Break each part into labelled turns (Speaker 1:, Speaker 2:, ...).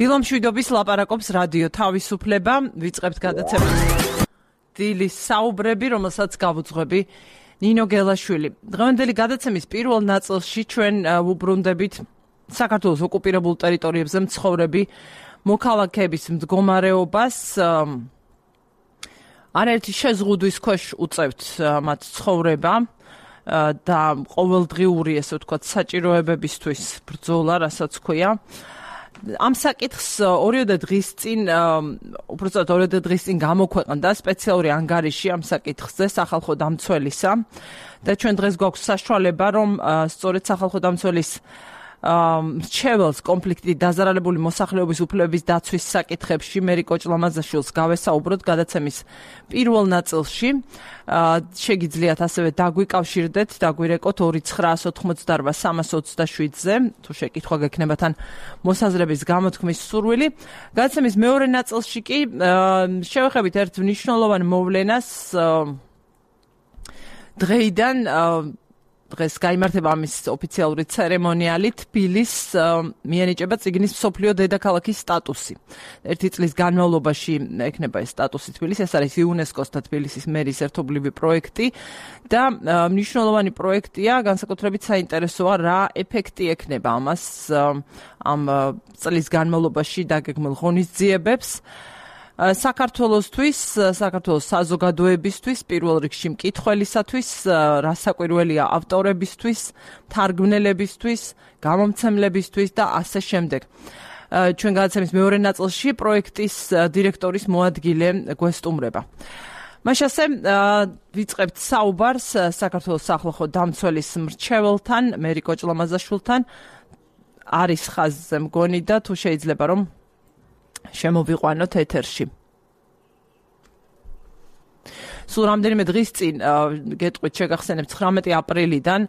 Speaker 1: დილამშვიდობის ლაპარაკობს რადიო თავისუფლება, ვიწყებთ გადაცემას დილის საუბრები, რომელსაც გავუძღვები ნინო გელაშვილი. დღევანდელი გადაცემის პირველ ნაწილში ჩვენ ვუბრუნდებით საქართველოს ოკუპირებულ ტერიტორიებზე მცხოვრები მოქალაქეების მდგომარეობას. არაერთი შეზღუდვის ქვეშ უწევთ მათ ცხოვრება და ყოველდღიური, ესე ვთქვათ, საჭიროებებისთვის ბრძოლა, რასაც ქვია. ამ საკითხს ორიოდე დღის წინ, უпростоად ორიოდე დღის წინ გამოქვეყნდა სპეციალური ანგარიში ამ საკითხზე სახალხო დამცველისა და ჩვენ დღეს გვაქვს საშუალება, რომ სწორედ სახალხო დამცველის მრჩეველს კონფლიქტით დაზარალებული მოსახლეობის უფლებების დაცვის საკითხებში მერი კოჭლამაზაშვილს გავესაუბროთ გადაცემის პირველ ნაწილში. შეგიძლიათ ასევე დაგვიკავშირდეთ, დაგვირეკოთ 2988-327-ზე, თუ შეკითხვა გექნება თან მოსაზრების გამოთქმის სურვილი. გადაცემის მეორე ნაწილში კი შევეხებით ერთ მნიშვნელოვან მოვლენას დღეიდან დღეს გაიმართება ამის ოფიციალური ცერემონიალი, თბილის მიენიჭება წიგნის მსოფლიო დედაქალაქის სტატუსი. ერთი წლის განმავლობაში ექნება ეს სტატუსი თბილის, ეს არის იუნესკოს და თბილისის მერის ერთობლივი პროექტი და მნიშვნელოვანი პროექტია, განსაკუთრებით საინტერესოა რა ეფექტი ექნება ამას ამ წლის განმავლობაში დაგეგმილ ღონისძიებებს. საქართველოსთვის, საქართველოს საზოგადოებისთვის, პირველ რიგში მკითხველისათვის, რასაკვირველია ავტორებისთვის, თარგმნელებისთვის, გამომცემლებისთვის და ასე შემდეგ. ჩვენ გადაცემის მეორე ნაწილში პროექტის დირექტორის მოადგილე გვესტუმრება. მაშასე ვიწყებთ საუბარს საქართველოს სახალხო დამცველის მრჩეველთან, მერი კოჭლამაზაშვილთან. არის ხაზზე მგონი და თუ შეიძლება რომ შემოვიყვანოთ ეთერში. სულ რამდენიმე დღის წინ გეტყვით შეგახსენებთ 19 აპრილიდან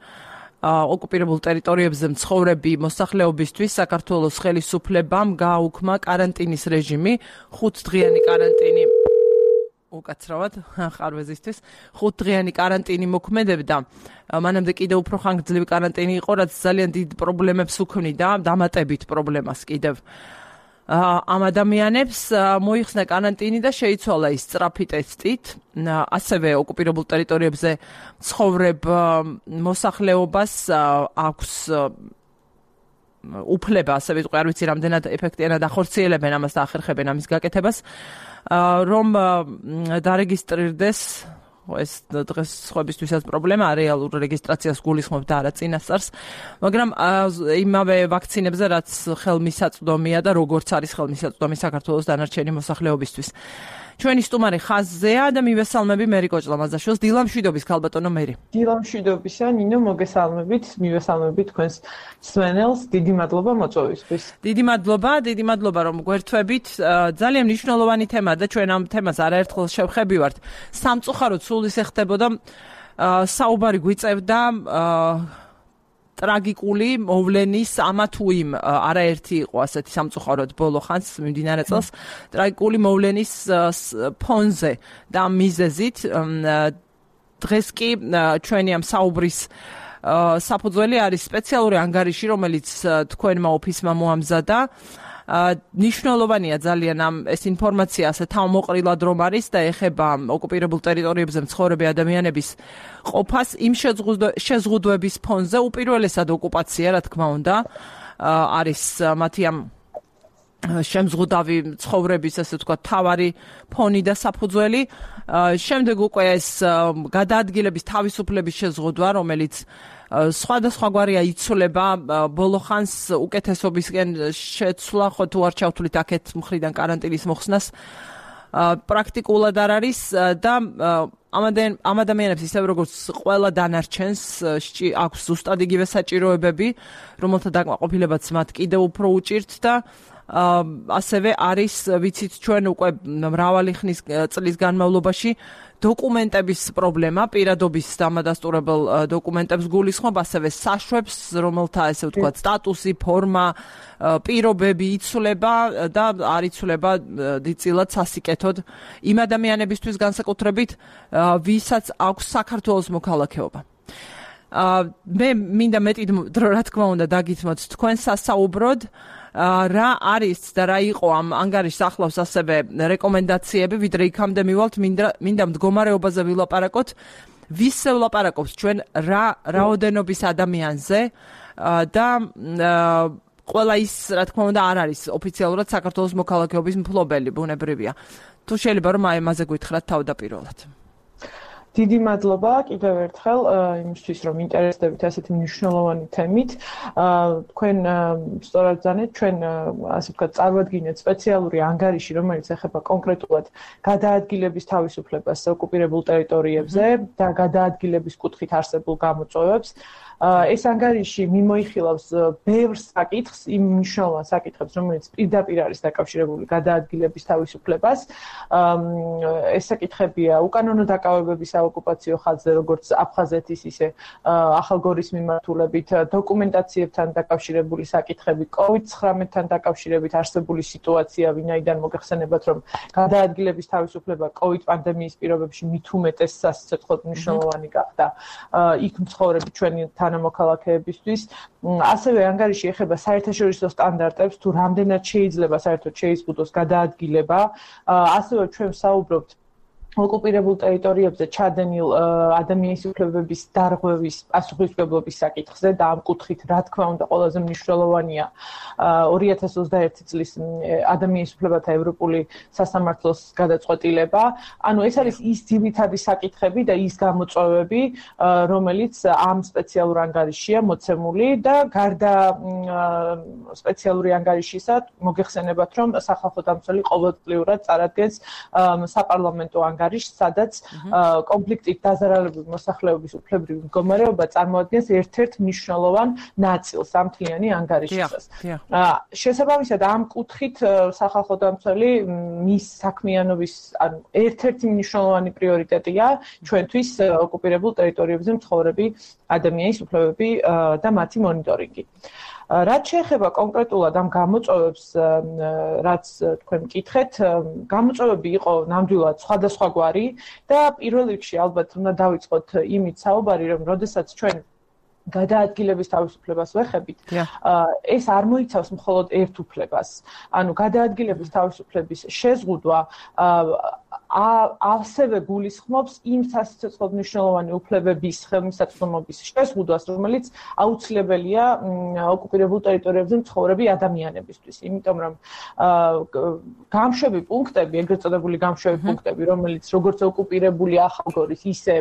Speaker 1: ოკუპირებულ ტერიტორიებზე მცხოვრები მოსახლეობისთვის საქართველოს ხელისუფლებამ გააუქმა კარანტინის რეჟიმი, 5-დღიანი კარანტინი უკაცრავად ხარვეზისთვის 5-დღიანი კარანტინი მოქმედებდა. მანამდე კიდევ უფრო ხანგრძლივი კარანტინი იყო, რაც ძალიან დიდ პრობლემებს უქმნიდა, დამატებით პრობლემას კიდევ. ამ ადამიანებს მოიხსნა კარანტინი და შეიცვალა ის სწრაფი ტესტით. ასევე ოკუპირებულ ტერიტორიებზე მცხოვრებ მოსახლეობას აქვს უფლება, ასე ვიტყვი, არ ვიცი რამდენად ეფექტიანად ახორციელებენ ამას და ახერხებენ ამის გაკეთებას, რომ დარეგისტრირდეს ეს დღეს სხვებისთვისაც პრობლემა, რეალურ რეგისტრაციას გულისხმობ და არა წინასწარს, მაგრამ იმავე ვაქცინებზე, რაც ხელმისაწვდომია და როგორც არის ხელმისაწვდომი საქართველოს დანარჩენი მოსახლეობისთვის. ჩვენი სტუმარი ხაზზეა და მივესალმები მერი კოჭლამაზაშვილს. დილამშვიდობის ქალბატონო მერი.
Speaker 2: დილამშვიდობისა, ნინო, მოგესალმებით, მივესალმებით თქვენს მსმენელს. დიდი მადლობა მოწვევისთვის.
Speaker 1: დიდი მადლობა, რომ გვერთვებით. ძალიან მნიშვნელოვანი თემაა და ჩვენ ამ თემას არაერთხელ შევხებივართ. სამწუხაროდ სულ ისე ხდებოდა, საუბარი გვიწევდა ტრაგიკული მოვლენის ამა თუ იმ არაერთი იყო ასეთი სამწუხაროდ ბოლო ხანს მიმდინარე წელს ტრაგიკული მოვლენის ფონზე და მიზეზით დღეს კი ჩვენი ამ საუბრის საფუძველი არის სპეციალური ანგარიში, რომელიც თქვენმა ოფისმა მოამზადა. ნიშნულოვანია ძალიან ეს ინფორმაცია ასე თავმოყრილად რომ არის და ეხება ოკუპირებულ ტერიტორიებზე მცხოვრები ადამიანების ყოფას იმ შეზღუდვების ფონზე, უპირველესად ოკუპაცია, რა თქმა უნდა, არის მათი ამ შემზღუდავი ცხოვრების, ასე ვთქვათ, თავარი ფონი და საფუძველი. შემდეგ უკვე ეს გადაადგილების თავისუფლების შეზღუდვა, რომელიც სხვადასხვაგვარია იცვლება, ბოლო ხანს უკეთესობისკენ შეცვლა, ხო თუ არ ჩავთვლით აქეთ მხრიდან კარანტინის მოხსნას, პრაქტიკულად არ არის და ამ ადამიანებს ისევ როგორც ყველა დანარჩენს აქვს ზუსტად იგივე საჭიროებები, რომელთა დაკმაყოფილებაც მათ კიდევ უფრო უჭირთ და ასევე არის, ვიცით ჩვენ უკვე მრავალი ხნის წლის განმავლობაში დოკუმენტების პრობლემა, პირადობის დამადასტურებელ დოკუმენტებს გულისხმობ, ასევე საშვებს, რომელთა ესე ვთქვათ სტატუსი, ფორმა, პირობები იცვლება და არ იცვლება დიდწილად სასიკეთოდ იმ ადამიანებისთვის განსაკუთრებით, ვისაც აქვს საქართველოს მოქალაქეობა. მე მინდა მეტი დრო, რა თქმა უნდა, დაგითმოთ თქვენ სასაუბროდ რა არის და რა იყო ამ ანგარიშს ახლავს ასევე რეკომენდაციები, ვიდრე იქამდე მივალთ, მინდა მდგომარეობაზე ვილაპარაკოთ. ვის ვლაპარაკობს ჩვენ რა რაოდენობის ადამიანზე და ყველა ის, რა თქმა უნდა, არ არის ოფიციალურად საქართველოს მოქალაქეობის მფლობელი, ბუნებრივია. თუ შეიძლება რომ ამაზე გითხრათ თავდაპირველად.
Speaker 2: დიდი მადლობა კიდევ ერთხელ იმისთვის, რომ ინტერესდებით ასეთი მნიშვნელოვანი თემით. თქვენ სწორად ძანეთ, ჩვენ ასე ვთქვათ, წარვადგინეთ სპეციალური ანგარიში, რომელიც ეხება კონკრეტულად გადაადგილების თავისუფლებას ოკუპირებულ ტერიტორიებზე და გადაადგილების კუთხით არსებულ გამოწვევებს. ეს ანგარიში მიმოიხილავს ბევრ საკითხს, იმ მნიშვნელოვან საკითხებს, რომელიც პირდაპირ არის დაკავშირებული გადაადგილების თავისუფლებას. ეს საკითხებია უკანონო დაკავებების საოკუპაციო ხაზზე, როგორც აფხაზეთის, ისე ახალგორის მიმართულებით, დოკუმენტაციებთან დაკავშირებული საკითხები, COVID-19-თან დაკავშირებით არსებული სიტუაცია, ვინაიდან მოგეხსენებათ, რომ გადაადგილების თავისუფლება COVID პანდემიის პირობებში მით უმეტეს სასიცოცხლოდ მნიშვნელოვანი გახდა იქ მცხოვრები ჩვენი თანამოქალაქეებისთვის. ასევე ანგარიში ეხება საერთაშორისო სტანდარტებს, თუ რამდენად შეიძლება საერთოდ შეიზღუდოს გადაადგილება. ასევე ჩვენ ვსაუბრობთ ოკუპირებულ ტერიტორიებზე ჩადენილ ადამიანის უფლებების დარღვევის პასუხისმგებლობის საკითხზე და ამ კუთხით, რა თქმა უნდა, ყველაზე მნიშვნელოვანია 2021 წლის ადამიანის უფლებათა ევროპული სასამართლოს გადაწყვეტილება. ანუ ეს არის ის ძირითადი საკითხები და ის გამოწვევები, რომელიც ამ სპეციალურ ანგარიშია მოცემული და გარდა სპეციალური ანგარიშისა, მოგეხსენებათ, რომ სახალხო დამცველი ყოველწლიურად წარადგენს საპარლამენტო სადაც კონფლიქტით დაზარალებული მოსახლეობის უფლებრივი მდგომარეობა წარმოადგენს ერთ-ერთ მნიშვნელოვან ნაწილს ამ მთლიანი ანგარიშისას. შესაბამისად, ამ კუთხით სახალხო დამცველი მის საქმიანობის ერთ-ერთი მნიშვნელოვანი პრიორიტეტია ჩვენთვის ოკუპირებულ ტერიტორიებზე მცხოვრები ადამიანის უფლებები და მათი მონიტორინგი. რაც შეეხება კონკრეტულად ამ გამოწვევებს, რაც თქვენ მკითხეთ, გამოწვევები იყო ნამდვილად სხვადასხვაგვარი და პირველ რიგში ალბათ უნდა დავიწყოთ იმით საუბარი, რომ როდესაც ჩვენ გადაადგილების თავისუფლებას ვეხებით, ეს არ მოიცავს მხოლოდ ერთ უფლებას. ანუ გადაადგილების თავისუფლების შეზღუდვა ასევე გულისხმობს იმ სასიცოცხლოდ მნიშვნელოვანი უფლებების ხელმისაწვდომობის შეზღუდვას, რომელიც აუცილებელია ოკუპირებულ ტერიტორიებზე მცხოვრები ადამიანებისთვის. იმიტომ რომ გამშვები პუნქტები, ეგრეთ წოდებული გამშვები პუნქტები, რომელიც როგორც ოკუპირებული ახალგორის, ისე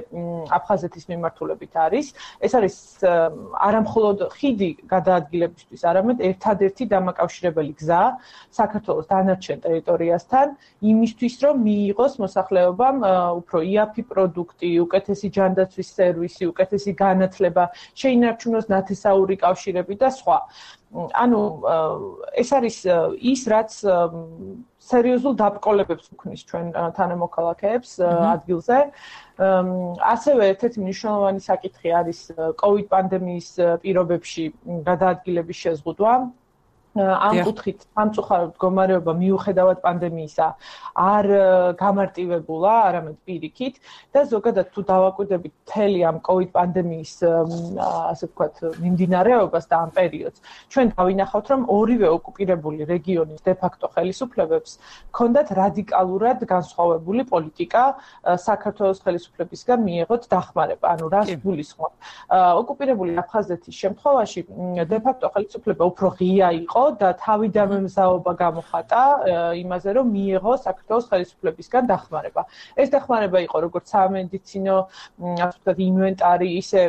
Speaker 2: აფხაზეთის მიმართულებით არის, ეს არის არამხოლოდ ხიდი გადაადგილებისთვის, არამედ ერთადერთი დამაკავშირებელი გზა საქართველოს დანარჩენ ტერიტორიასთან, იმისთვის, რომ მიიღოს მოსახლეობამ უფრო იაფი პროდუქტი, უკეთესი ჯანდაცვის სერვისი, უკეთესი განათლება, შეინარჩუნოს ნათესაური კავშირები და სხვა. ანუ ეს არის ის, რაც სერიოზულ დაბრკოლებებს უქმნის ჩვენ თანამოქალაქეებს ადგილზე. ასევე ერთ-ერთი მნიშვნელოვანი საკითხი არის COVID პანდემიის პირობებში გადაადგილების შეზღუდვა. ამ კუთხით სამწუხაროდ მდგომარეობა მიუხედავად პანდემიისა არ გამარტივებულა, არამედ პირიქით და ზოგადად თუ დავაკვირდებით მთელი ამ COVID პანდემიის ასე ვთქვათ მიმდინარეობას და ამ პერიოდს, ჩვენ დავინახავთ, რომ ორივე ოკუპირებული რეგიონის დე-ფაქტო ხელისუფლებებს ჰქონდათ რადიკალურად განსხვავებული პოლიტიკა საქართველოს ხელისუფლებისგან მიიღოთ დახმარება. ანუ რას გულისხმობ? ოკუპირებული აფხაზეთის შემთხვევაში დე-ფაქტო ხელისუფლება უფრო ღია იყო და თავიდანვე მზაობა გამოხატა იმაზე, რომ მიიღო საქართველოს ხელისუფლებისგან დახმარება. ეს დახმარება იყო როგორც სამედიცინო, ასე ვთქვათ, ინვენტარი, ისე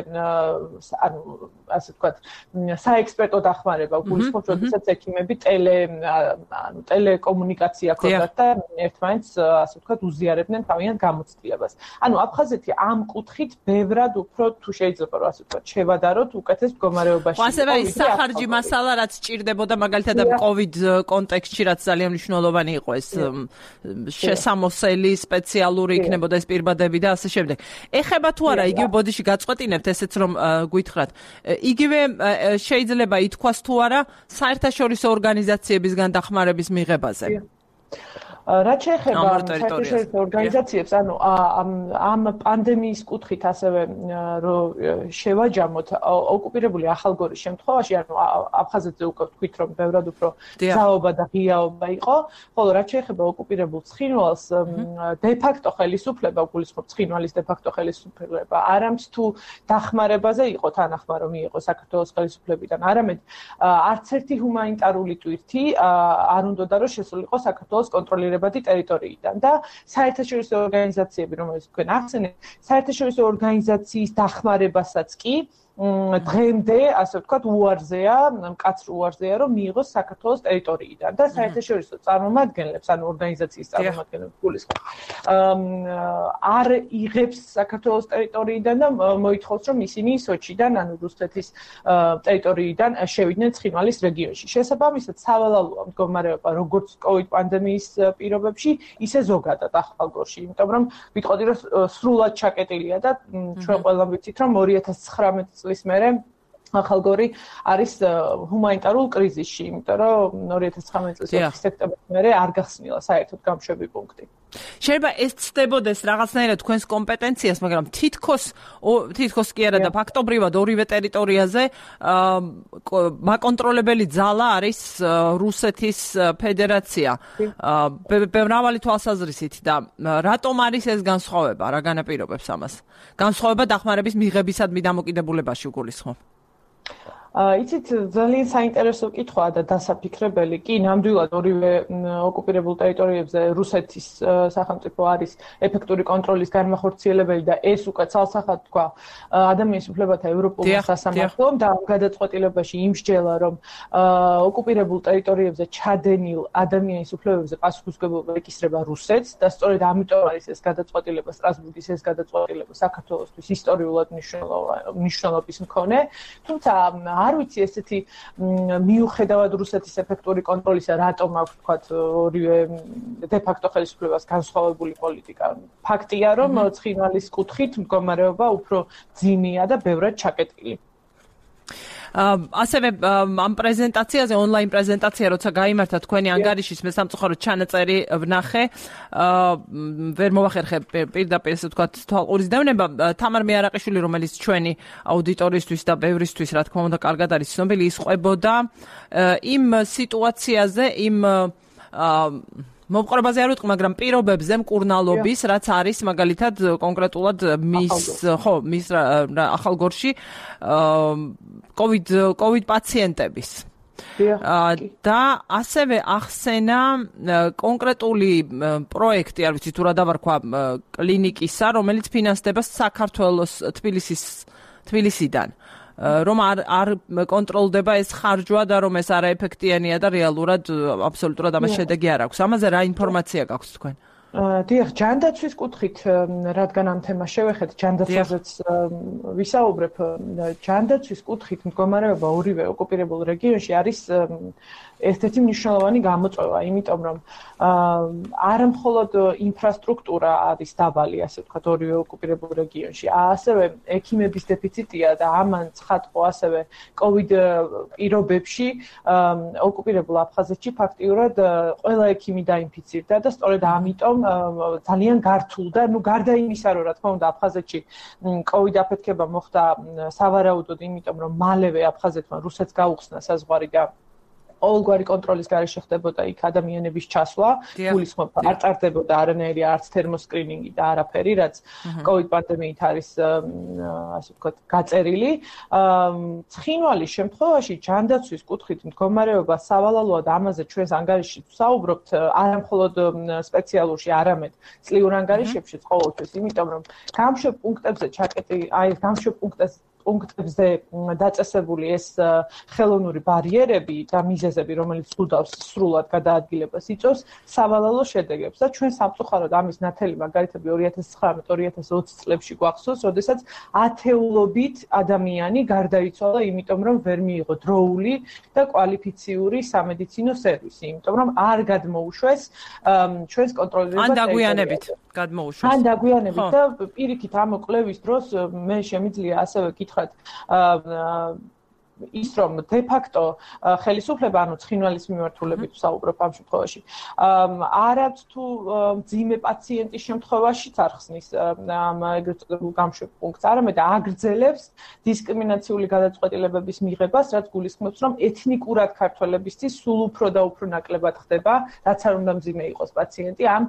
Speaker 2: ანუ ასე ვთქვათ, საექსპერტო დახმარება, გულისხმობთ, როდესაც ექიმები ტელეკომუნიკაცია ჰქონდათ და ერთმანეთს ასე ვთქვათ, უზიარებდნენ თავიანთ გამოცდილებას. ანუ აფხაზეთი ამ კუთხით ბევრად უფრო თუ შეიძლება რომ ასე ვთქვათ, შევადაროთ უკეთეს მდგომარეობაში.
Speaker 1: ასევე ის სახარჯი მასალა, რაც ჭირდებოდა მაგალითად ამ COVID კონტექსტში, რაც ძალიან მნიშვნელოვანი იყო ეს შესამოსელი სპეციალური იქნებოდა ეს პირბადები და ასე შემდეგ. ეხება თუ არა, იგივე ბოდიში გაწყვეტინებთ ესეც რომ გითხრათ. იგივე შეიძლება ითქვას თუ არა საერთაშორისო ორგანიზაციებისგან დახმარების მიღებაზე.
Speaker 2: რაც შეეხება საერთაშორისო ორგანიზაციებს, ანუ ამ პანდემიის კუთხით ასევე რომ შევაჯამოთ ოკუპირებული ახალგორის შემთხვევაში, ანუ აფხაზეთზე უკვე ვთქვით, რომ ბევრად უფრო ძალაობა და ღიაობა იყო, ხოლო რაც შეეხება ოკუპირებულ ცხინვალს, დე-ფაქტო ხელისუფლება, გულისხმობ ცხინვალის დე-ფაქტო ხელისუფლება, არამც თუ დახმარებაზე იყო თანახმა რომ მიიღო საქართველოს ხელისუფლებიდან, არამედ არც ერთი ჰუმანიტარული ტვირთი არ უნდოდა რომ შესულიყო საქართველოს კონტროლირებადი ტერიტორიიდან და საერთაშორისო ორგანიზაციები, რომელიც თქვენ ახსენეთ, საერთაშორისო ორგანიზაციის დახმარებასაც კი დღემდე, ასე ვთქვათ, უარზეა, მკაცრ უარზეა, რომ მიიღოს საქართველოს ტერიტორიიდან და საერთაშორისო წარმომადგენლებს, ანუ ორგანიზაციის წარმომადგენლებს გულისხმობ, არ იღებს საქართველოს ტერიტორიიდან და მოითხოვს, რომ ისინი სოჩიდან, ანუ რუსეთის ტერიტორიიდან შევიდნენ ცხინვალის რეგიონში. შესაბამისად, სავალალოა მდგომარეობა როგორც COVID პანდემიის პირობებში, ისე ზოგადად ახალგორში, იმიტომ რომ ვიტყოდი, რომ სრულად ჩაკეტილია და ჩვენ ყველამ ვიცით, რომ 2019 წლის მერე ახალგორი არის ჰუმანიტარულ კრიზისში, იმიტომ რომ 2019 წლის 4 სექტემბრის მერე არ გახსნილა საერთოდ გამშვები პუნქტი.
Speaker 1: შეიძლება ეს ცდებოდეს რაღაცნაირად თქვენს კომპეტენციას, მაგრამ თითქოს კი არა და ფაქტობრივად ორივე ტერიტორიაზე მაკონტროლებელი ძალა არის რუსეთის ფედერაცია. მრავალი თვალსაზრისით და რატომ არის ეს განსხვავება, რა განაპირობებს ამას? განსხვავება დახმარების მიღებისადმი დამოკიდებულებაში გულისხმობ.
Speaker 2: იცით, ძალიან საინტერესო კითხვაა და დასაფიქრებელი. კი, ნამდვილად ორივე ოკუპირებულ ტერიტორიებზე რუსეთის სახელმწიფო არის ეფექტური კონტროლის განმახორციელებელი და ეს უკვე ცალსახად თქვა ადამიანის უფლებათა ევროპულმა სასამართლომ და ამ გადაწყვეტილებაში იმსჯელა, რომ ოკუპირებულ ტერიტორიებზე ჩადენილ ადამიანის უფლებებზე პასუხისმგებლობა ეკისრება რუსეთს და სწორედ ამიტომ არის ეს გადაწყვეტილება, სტრასბურგის ეს გადაწყვეტილება საქართველოსთვის ისტორიულად მნიშვნელობის მქონე. თუმცა არ ვიცი ესეთი მიუხედავად რუსეთის ეფექტური კონტროლისა, რატომ აქვს თქვათ ორივე დე-ფაქტო ხელისუფლებას განსხვავებული პოლიტიკა. ფაქტია, რომ ცხინვალის კუთხით მდგომარეობა უფრო ძიმია და ბევრად ჩაკეტილი.
Speaker 1: ასევე ამ პრეზენტაციაზე, ონლაინ პრეზენტაცია, როცა გაიმართა თქვენი ანგარიშის მე სამწუხაროდ ჩანაწერი ვნახე, ვერ მოვახერხე პირდაპირ ესე ვთქვათ თვალყურის დევნება, თამარ მეარაყიშვილი, რომელიც ჩვენი აუდიტორიისთვის და ბევრისთვის, რა თქმა უნდა, კარგად არის ცნობილი, ის ყვებოდა იმ სიტუაციაზე, იმ მოპყრობაზე არ ვიტყვი, მაგრამ პირობებზე მკურნალობის, რაც არის მაგალითად კონკრეტულად მის ახალგორში COVID პაციენტების. და ასევე ახსენა კონკრეტული პროექტი, არ ვიცი თუ რა დავარქვა, კლინიკისა, რომელიც ფინანსდება საქართველოს თბილისიდან. რომ არ კონტროლდება ეს ხარჯვა და რომ ეს არაეფექტიანია და რეალურად აბსოლუტურად ამას შედეგი არ აქვს. ამაზე რა ინფორმაცია გაქვთ თქვენ?
Speaker 2: დიახ, ჯანდაცვის კუთხით, რადგან ამ თემას შევეხეთ, ჯანდაცვაზეც ვისაუბრებ, ჯანდაცვის კუთხით მდგომარეობა ორივე ოკუპირებულ რეგიონში არის ერთ-ერთი მნიშვნელოვანი გამოწვევა, იმიტომ რომ არა მხოლოდ ინფრასტრუქტურა არის დაბალი, ასე ვთქვათ, ორივე ოკუპირებულ რეგიონში, ასევე ექიმების დეფიციტია და ამან ცხადყო ასევე COVID პირობებში ოკუპირებულ აფხაზეთში ფაქტიურად ყველა ექიმი დაინფიცირდა და სწორედ ამიტომ ძალიან გართულდა, გარდა იმისა, რომ რა თქმა უნდა აფხაზეთში COVID აფეთქება მოხდა სავარაუდოდ, იმიტომ რომ მალევე აფხაზეთმა რუსეთს გაუხსნა საზღვარი და ყოველგვარი კონტროლის გარეშე ხდებოდა იქ ადამიანების ჩასვლა, გულისხმობ, არ ტარდებოდა არანაირი არც თერმოსკრინინგი და არაფერი, რაც COVID პანდემიით არის, ასე ვთქვათ, გაწერილი. ცხინვალის შემთხვევაში ჯანდაცვის კუთხით მდგომარეობა სავალალოა და ამაზე ჩვენს ანგარიშში ვსაუბრობთ, არა მხოლოდ სპეციალურში, არამედ წლიურ ანგარიშებშიც ყოველთვის, იმიტომ რომ გამშვებ პუნქტებზე ჩაკეტილი, გამშვებ პუნქტებზე დაწესებული ეს ხელოვნური ბარიერები და მიზეზები, რომელიც სრულად გადაადგილებას იწვევს, სავალალო შედეგებს და ჩვენ სამწუხაროდ ამის ნათელი მაგალითები 2019-2020 წლებში გვახსოვს, როდესაც ათეულობით ადამიანი გარდაიცვალა, იმიტომ რომ ვერ მიიღო დროული და კვალიფიციური სამედიცინო სერვისი, იმიტომ რომ არ გადმოუშვეს ჩვენს კონტროლირებას.
Speaker 1: ან დაგვიანებით გადმოუშვეს.
Speaker 2: ან დაგვიანებით და პირიქით ამ კვლევის დროს მე შემიძლია ასევე კითხრათ ის რომ დე-ფაქტო ხელისუფლება, ანუ ცხინვალის მიმართულებით ვსაუბრობ ამ შემთხვევაში, არ აქვს თუ მძიმე პაციენტის შემთხვევაშიც არ ხსნის ამ ეგრეთ წოდებულ გამშვებ პუნქტს, არამედ აგრძელებს დისკრიმინაციული გადაწყვეტილებების მიღებას, რაც გულისხმობს, რომ ეთნიკურად ქართველებისთვის სულ უფრო და უფრო ნაკლებად ხდება, რაც არ უნდა მძიმე იყოს პაციენტი ამ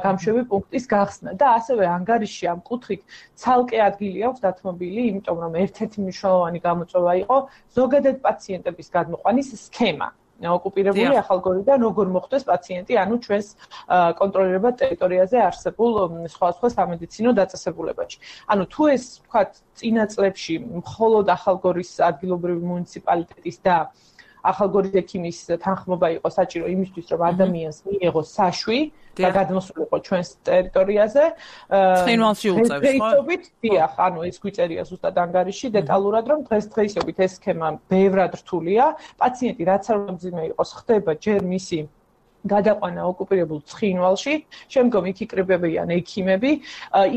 Speaker 2: გამშვები პუნქტის გახსნა და ასევე ანგარიში ამ კუთხით ცალკე ადგილი აქვს დათმობილი, იმიტომ რომ ერთ-ერთი მნიშვნელოვანი გამოწვევა იყო ზოგადად პაციენტების გადმოყვანის სქემა. ოკუპირებული ახალგორიდან როგორ მოხდეს პაციენტი, ანუ ჩვენს კონტროლირებად ტერიტორიაზე არსებულ სხვადასხვა სამედიცინო დაწესებულებებში. ანუ თუ ეს ვთქვათ წინა წლებში მხოლოდ ახალგორის ადგილობრივი მუნიციპალიტეტის და ახალგორის ექიმის თანხმობა იყო საჭირო იმისთვის, რომ ადამიანს მიიღოს საშვი და გადმოსულიყო ჩვენს ტერიტორიაზე.
Speaker 1: ცხინვალში უწევს, ხო?
Speaker 2: დიახ, ანუ ეს გვიწერია ზუსტად ანგარიში დეტალურად, რომ დღესდღეობით ეს სქემა ბევრად რთულია. პაციენტი რაც არ უნდა მძიმე იყოს, ხდება ჯერ მისი გადაყვანა ოკუპირებულ ცხინვალში, შემდგომ იქ იკრიბებიან ექიმები,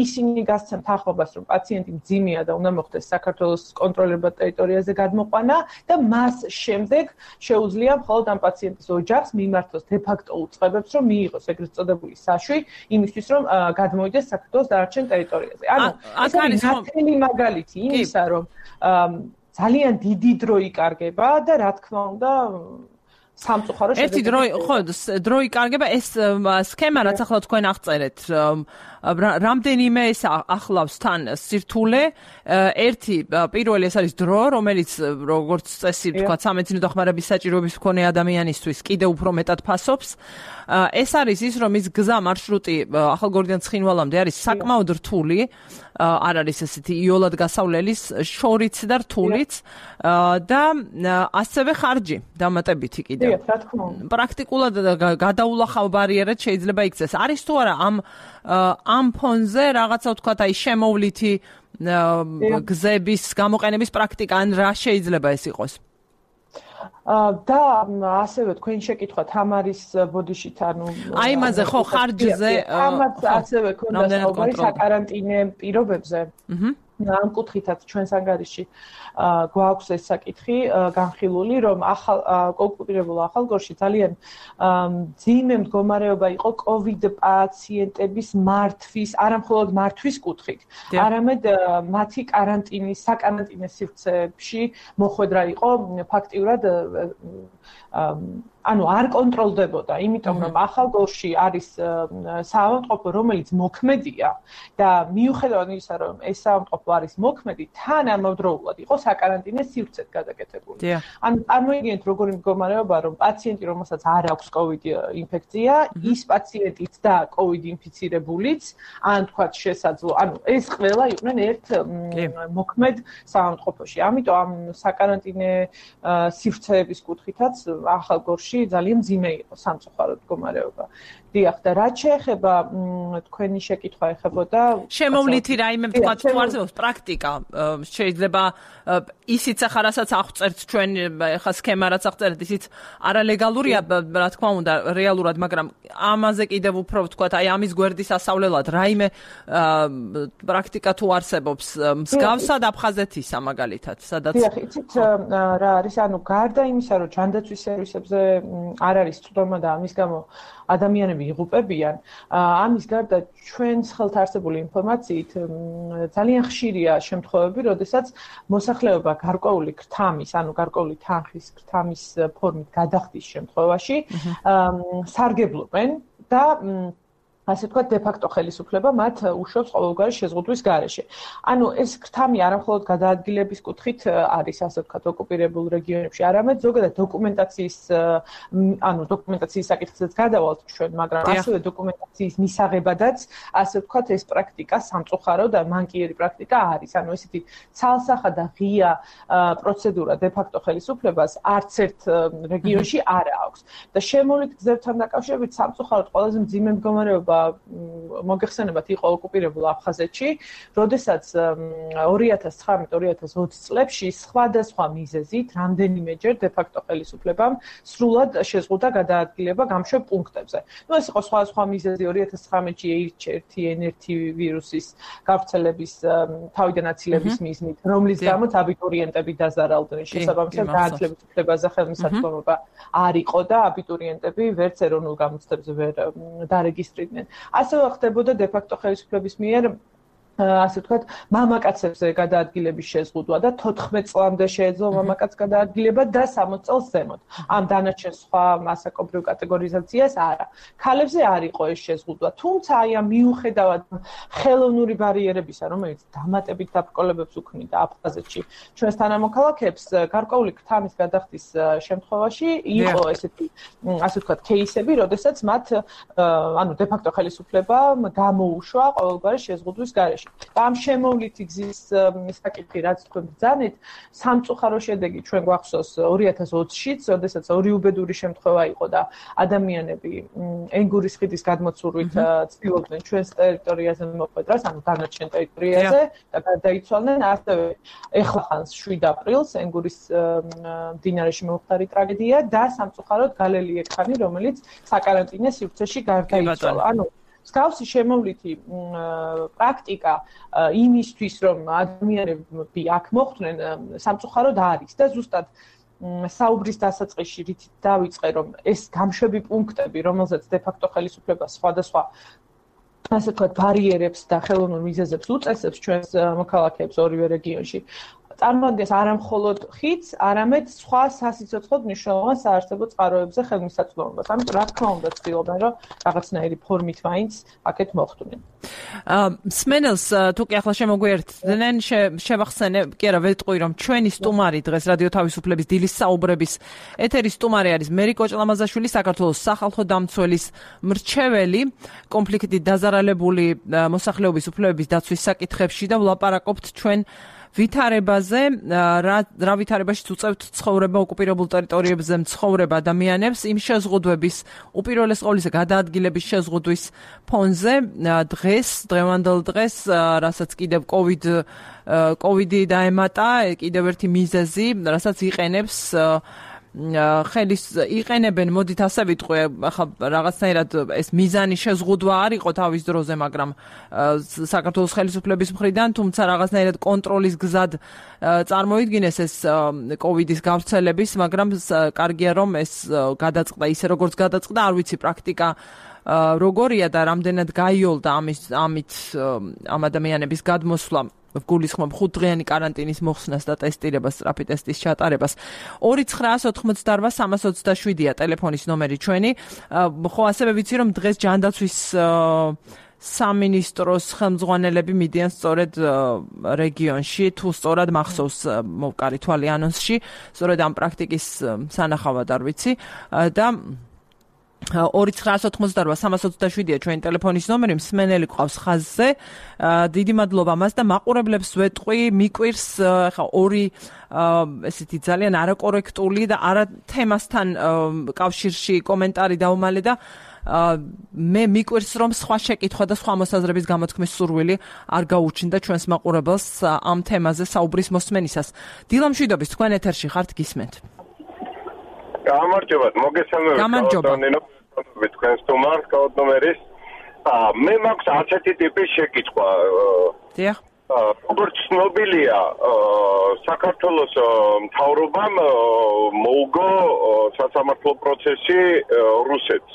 Speaker 2: ისინი გასცემთ თანხმობას, რომ პაციენტი მძიმეა და უნდა მოხდეს საქართველოს კონტროლირებად ტერიტორიაზე გადმოყვანა და მას შემდეგ შეუძლია მხოლოდ ამ პაციენტის ოჯახს მიმართოს დე-ფაქტო უწყებებს, რომ მიიღოს ეგრეთ წოდებული საშვი, იმისთვის, რომ გადმოიდეს საქართველოს დანარჩენ ტერიტორიაზე. ანუ ეს არის ნათელი მაგალითი იმისა, რომ ძალიან დიდი დრო იკარგება და რა თქმა უნდა სამწუხარო
Speaker 1: ერთი დრო იკარგება ეს სქემა რაც ახლა თქვენ აღწერეთ რამდენიმე ეს ახლავს თან სირთულე ერთი პირველი ეს არის დრო რომელიც როგორც წესი თქვა სამედიცინო დახმარების საჭიროების მქონე ადამიანისთვის კიდევ უფრო მეტად ფასობს ეს არის ის რომ ის გზა მარშრუტი ახალგორიდან ცხინვალამდე არის საკმაოდ რთული არ არის ესეთი იოლად გასავლელის შორიც და რთულიც და ასევე ხარჯი დამატებითი კიდევ პრაქტიკულად გადაულახავ ბარიერად შეიძლება იქცეს არის თუ არა ამ ფონზე რაღაცა ვთქვათ აი შემოვლითი გზების გამოყენების პრაქტიკა ან რა შეიძლება ეს იყოს
Speaker 2: და ასევე თქვენ შეკითხვა თამარის ბოდიშით ანუ
Speaker 1: აი იმაზე ხო ხარჯზე
Speaker 2: ამაც ასევე ქონდა საუბარი საკარანტინე პირობებზე ამ კუთხითაც ჩვენს ანგარიში გვაქვს ეს საკითხი განხილული რომ ოკუპირებულ ახალგორში ძალიან მძიმე მდგომარეობა იყო კოვიდ პაციენტების მართვის არამხოლოდ მართვის კუთხით არამედ მათი კარანტინის საკარანტინე სივრცეებში მოხვედრა იყო ფაქტიურად ანუ არ კონტროლდებოდა, იმიტომ რომ ახალგორში არის საავადმყოფო, რომელიც მოქმედია და მიუხედავად იმისა, რომ ეს საავადმყოფო არის მოქმედი, თან ამავდროულად იყო საკარანტინე სივრცედ გადაკეთებული. ანუ წარმოიდგინეთ როგორი მდგომარეობა, რომ პაციენტი, რომელსაც არ აქვს COVID ინფექცია, ის პაციენტიც და COVID ინფიცირებულიც, ან თქვათ შესაძლო, ანუ ეს ყველა იყვნენ ერთ მოქმედ საავადმყოფოში. ამიტომ ამ საკარანტინე სივრცეების კუთხითაც ახალგორში ძალიან მძიმე იყო სამწუხაროდ მდგომარეობა. დიახ, და რაც შეეხება თქვენი შეკითხვა ეხებოდა
Speaker 1: შემოვლითი რაიმე ვთქვათ თუ არსებობს პრაქტიკა შეიძლება ისიც ახლა რასაც აღწერთ ჩვენ ახლა სქემა რაც აღწერთ ისიც არალეგალურია რა თქმა უნდა რეალურად მაგრამ ამაზე კიდევ უფრო ვთქვათ აი ამის გვერდის ასავლელად რაიმე პრაქტიკა თუ არსებობს მსგავსად აფხაზეთისა მაგალითად სადაც
Speaker 2: დიახ იცით რა არის ანუ გარდა იმისა რომ ჯანდაცვის სერვისებზე არ არის წვდომა და ამის გამო ადამიანები იღუპებიან ამის გარდა ჩვენს ხელთ არსებული ინფორმაციით ძალიან ხშირია შემთხვევები, როდესაც მოსახლეობა გარკვეული ქრთამის, ანუ გარკვეული თანხის ქრთამის ფორმით გადახდის შემთხვევაში სარგებლობენ და ასე ვთქვათ, დე-ფაქტო ხელისუფლება მათ უშვებს ყოველგვარი შეზღუდვის გარეშე. ანუ ეს ქრთამი არამხოლოდ გადაადგილების კუთხით არის, ასე ვთქვათ, ოკუპირებულ რეგიონებში, არამედ ზოგადად დოკუმენტაციის საკითხზეც გადავალთ ჩვენ, მაგრამ ასევე დოკუმენტაციის მისაღებადაც, ასე ვთქვათ, ეს პრაქტიკა სამწუხარო და მანკიერი პრაქტიკა არის. ანუ ესეთი ცალსახა და ღია პროცედურა დე-ფაქტო ხელისუფლებას არც ერთ რეგიონში არ აქვს. და შემოვლით გზებთან დაკავშირებით სამწუხაროდ ყველაზე მძიმე მდგომარეობა მოგეხსენებათ იყო ოკუპირებულ აფხაზეთში, როდესაც 2019-2020 წლებში სხვადასხვა მიზეზით რამდენიმეჯერ დე-ფაქტო ხელისუფლებამ სრულად შეზღუდა გადაადგილება გამშვებ პუნქტებზე. ეს იყო სხვა მიზეზი 2019-ში H1N1 ვირუსის გავრცელების თავიდან აცილების მიზნით, რომლის გამოც აბიტურიენტები დაზარალდნენ. შესაბამისად, გააცლების უფლებაზე ხელმისაწვდომობა არ იყო და აბიტურიენტები ვერც ეროვნულ გამოცდებზე ვერ დარეგისტრირდნენ. ასევე ხდებოდა დე-ფაქტო ხელისუფლების მიერ ასე ვთქვათ, მამაკაცებზე გადაადგილების შეზღუდვა და 14 წლამდე შეეძლო მამაკაც გადაადგილება და 60 წელს ზემოთ. ამ დანარჩენ სხვა მასაკობრივ კატეგორიზაციას არა. ქალებზე არ იყო ეს შეზღუდვა, თუმცა აი ამ მიუხედავად ხელოვნური ბარიერებისა, რომელიც დამატებით დაბრკოლებებს უქმნიდა აფხაზეთში ჩვენს თანამოქალაქეებს, გარკვეული ქთამის გადახდის შემთხვევაში იყო ესეთი ასე ვთქვათ, кейსები, როდესაც მათ დე-ფაქტო ხელისუფლება გამოუშვა ყოველგვარი შეზღუდვის გარეშე. ამ შემოვლითი გზის საკითხი, რაც თქვენ ბრძანეთ, სამწუხარო შედეგი ჩვენ გვახსოვს 2020-შიც, როდესაც ორი უბედური შემთხვევა იყო და ადამიანები ენგურის ხიდის გადმოცურვით ცდილობდნენ ჩვენს ტერიტორიაზე მოხვედრას, ანუ დანარჩენ ტერიტორიაზე და გარდაიცვალნენ. ასევე ეხლა 7 აპრილს ენგურის მდინარეში მოხდარი ტრაგედია და სამწუხაროდ გალელი ექანი, რომელიც საკარანტინო სივრცეში გარდაიცვალა. მსგავსი შემოვლითი პრაქტიკა იმისთვის, რომ ადამიანები აქ მოხვდნენ, სამწუხაროდ არის და ზუსტად საუბრის დასაწყისში რითი დავიწყე, რომ ეს გამშვები პუნქტები, რომელზეც დე-ფაქტო ხელისუფლება სხვადასხვა ასე ვთქვათ, ბარიერებს და ხელოვნურ მიზეზებს უწესებს ჩვენს მოქალაქეებს ორივე რეგიონში, წარმოადგენს არა მხოლოდ ხიდს, არამედ სხვა სასიცოცხლოდ მნიშვნელოვან საარსებო წყაროებზე ხელმისაწვდომობას. ამიტომ რა თქმა უნდა ცდილობენ, რომ რაღაცნაირი ფორმით მაინც აქეთ მოხვდნენ.
Speaker 1: მსმენელს თუ კი ახლა შემოგვიერთდნენ, შევახსენე, კი არა, ვეტყვი, რომ ჩვენი სტუმარი დღეს რადიო თავისუფლების დილის საუბრების ეთერის სტუმარი არის მერი კოჭლამაზაშვილი, საქართველოს სახალხო დამცველის მრჩეველი, კონფლიქტით დაზარალებული მოსახლეობის უფლებების დაცვის საკითხებში და ვლაპარაკობთ ჩვენ ვითარებაზე, რა ვითარებაშიც უწევთ ცხოვრება ოკუპირებულ ტერიტორიებზე მცხოვრებ ადამიანებს იმ შეზღუდვების უპირველეს ყოვლისა გადაადგილების შეზღუდვის ფონზე დღევანდელ დღეს, რასაც კიდევ კოვიდი დაემატა, კიდევ ერთი მიზეზი, რასაც იყენებს იყენებენ, მოდით ასე ვიტყვი, ახლა რაღაცნაირად ეს მიზანი შეზღუდვა არ იყო თავის დროზე, მაგრამ საქართველოს ხელისუფლების მხრიდან, თუმცა რაღაცნაირად კონტროლის გზად წარმოიდგინეს ეს კოვიდის გავრცელების, მაგრამ კარგია რომ ეს გადაწყდა ისე როგორც გადაწყდა, არ ვიცი პრაქტიკა როგორია და რამდენად გაიოლდა ამით ამ ადამიანების გადმოსვლა გულისხმობ 5-დღიანი კარანტინის მოხსნას და ტესტირებას, სწრაფი ტესტის ჩატარებას. 2988-327-ია ტელეფონის ნომერი ჩვენი. ხო, ასევე ვიცი, რომ დღეს ჯანდაცვის სამინისტროს ხელმძღვანელები მიდიან სწორედ რეგიონში, თუ სწორად მახსოვს მოვკარი თვალი ანონსში, სწორედ ამ პრაქტიკის სანახავად არ ვიცი და 2988-327-ია ჩვენი ტელეფონის ნომერი, მსმენელი ყავს ხაზზე. დიდი მადლობა მას და მაყურებლებს ვეტყვი, მიკვირს ხა ორი ესეთი ძალიან არაკორექტული და არა თემასთან კავშირში კომენტარი დაუმალე და მე მიკვირს, რომ სხვა შეკითხვა და სხვა მოსაზრების გამოთქმის სურვილი არ გაუჩნდა ჩვენს მაყურებელს ამ თემაზე საუბრის მოსმენისას. დილა მშვიდობის, თქვენ ეთერში ხართ, გისმენთ.
Speaker 3: გამარჯობათ, მოგესალმებით, თქვენ სტუმარს, კაუდნომერის. მე მაქვს ასეთი ტიპის შეკითხვა.
Speaker 1: დიახ.
Speaker 3: როგორც ცნობილია, საქართველოს მთავრობამ მოუგო სასამართლო პროცესი რუსეთს.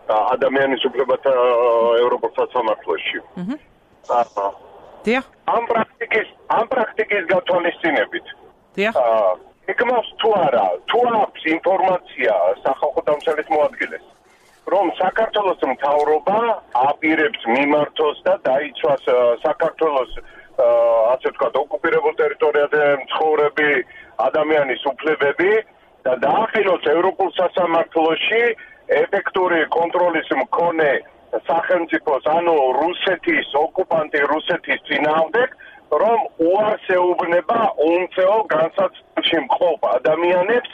Speaker 3: ადამიანის უფლებათა ევროპულ სასამართლოში.
Speaker 1: დიახ.
Speaker 3: ამ პრაქტიკის გათვალისწინებით.
Speaker 1: დიახ.
Speaker 3: ეკმავს თუ არა, თუ აქვს ინფორმაცია სახალხო დამცველის მოადგილეს, რომ საქართველოს მთავრობა აპირებს მიმართოს და დაიცვას საქართველოს ასე ვთქვათ, ოკუპირებულ ტერიტორიაზე მცხოვრები ადამიანის უფლებები და დაახილოს ევროპულ სასამართლოში ეფექტური კონტროლის მქონე სახელმწიფოს, ანუ რუსეთის, ოკუპანტი რუსეთის წინააღმდეგ, რომ უარს ეუბნება უმცეო განსაცდელში მყოფ ადამიანებს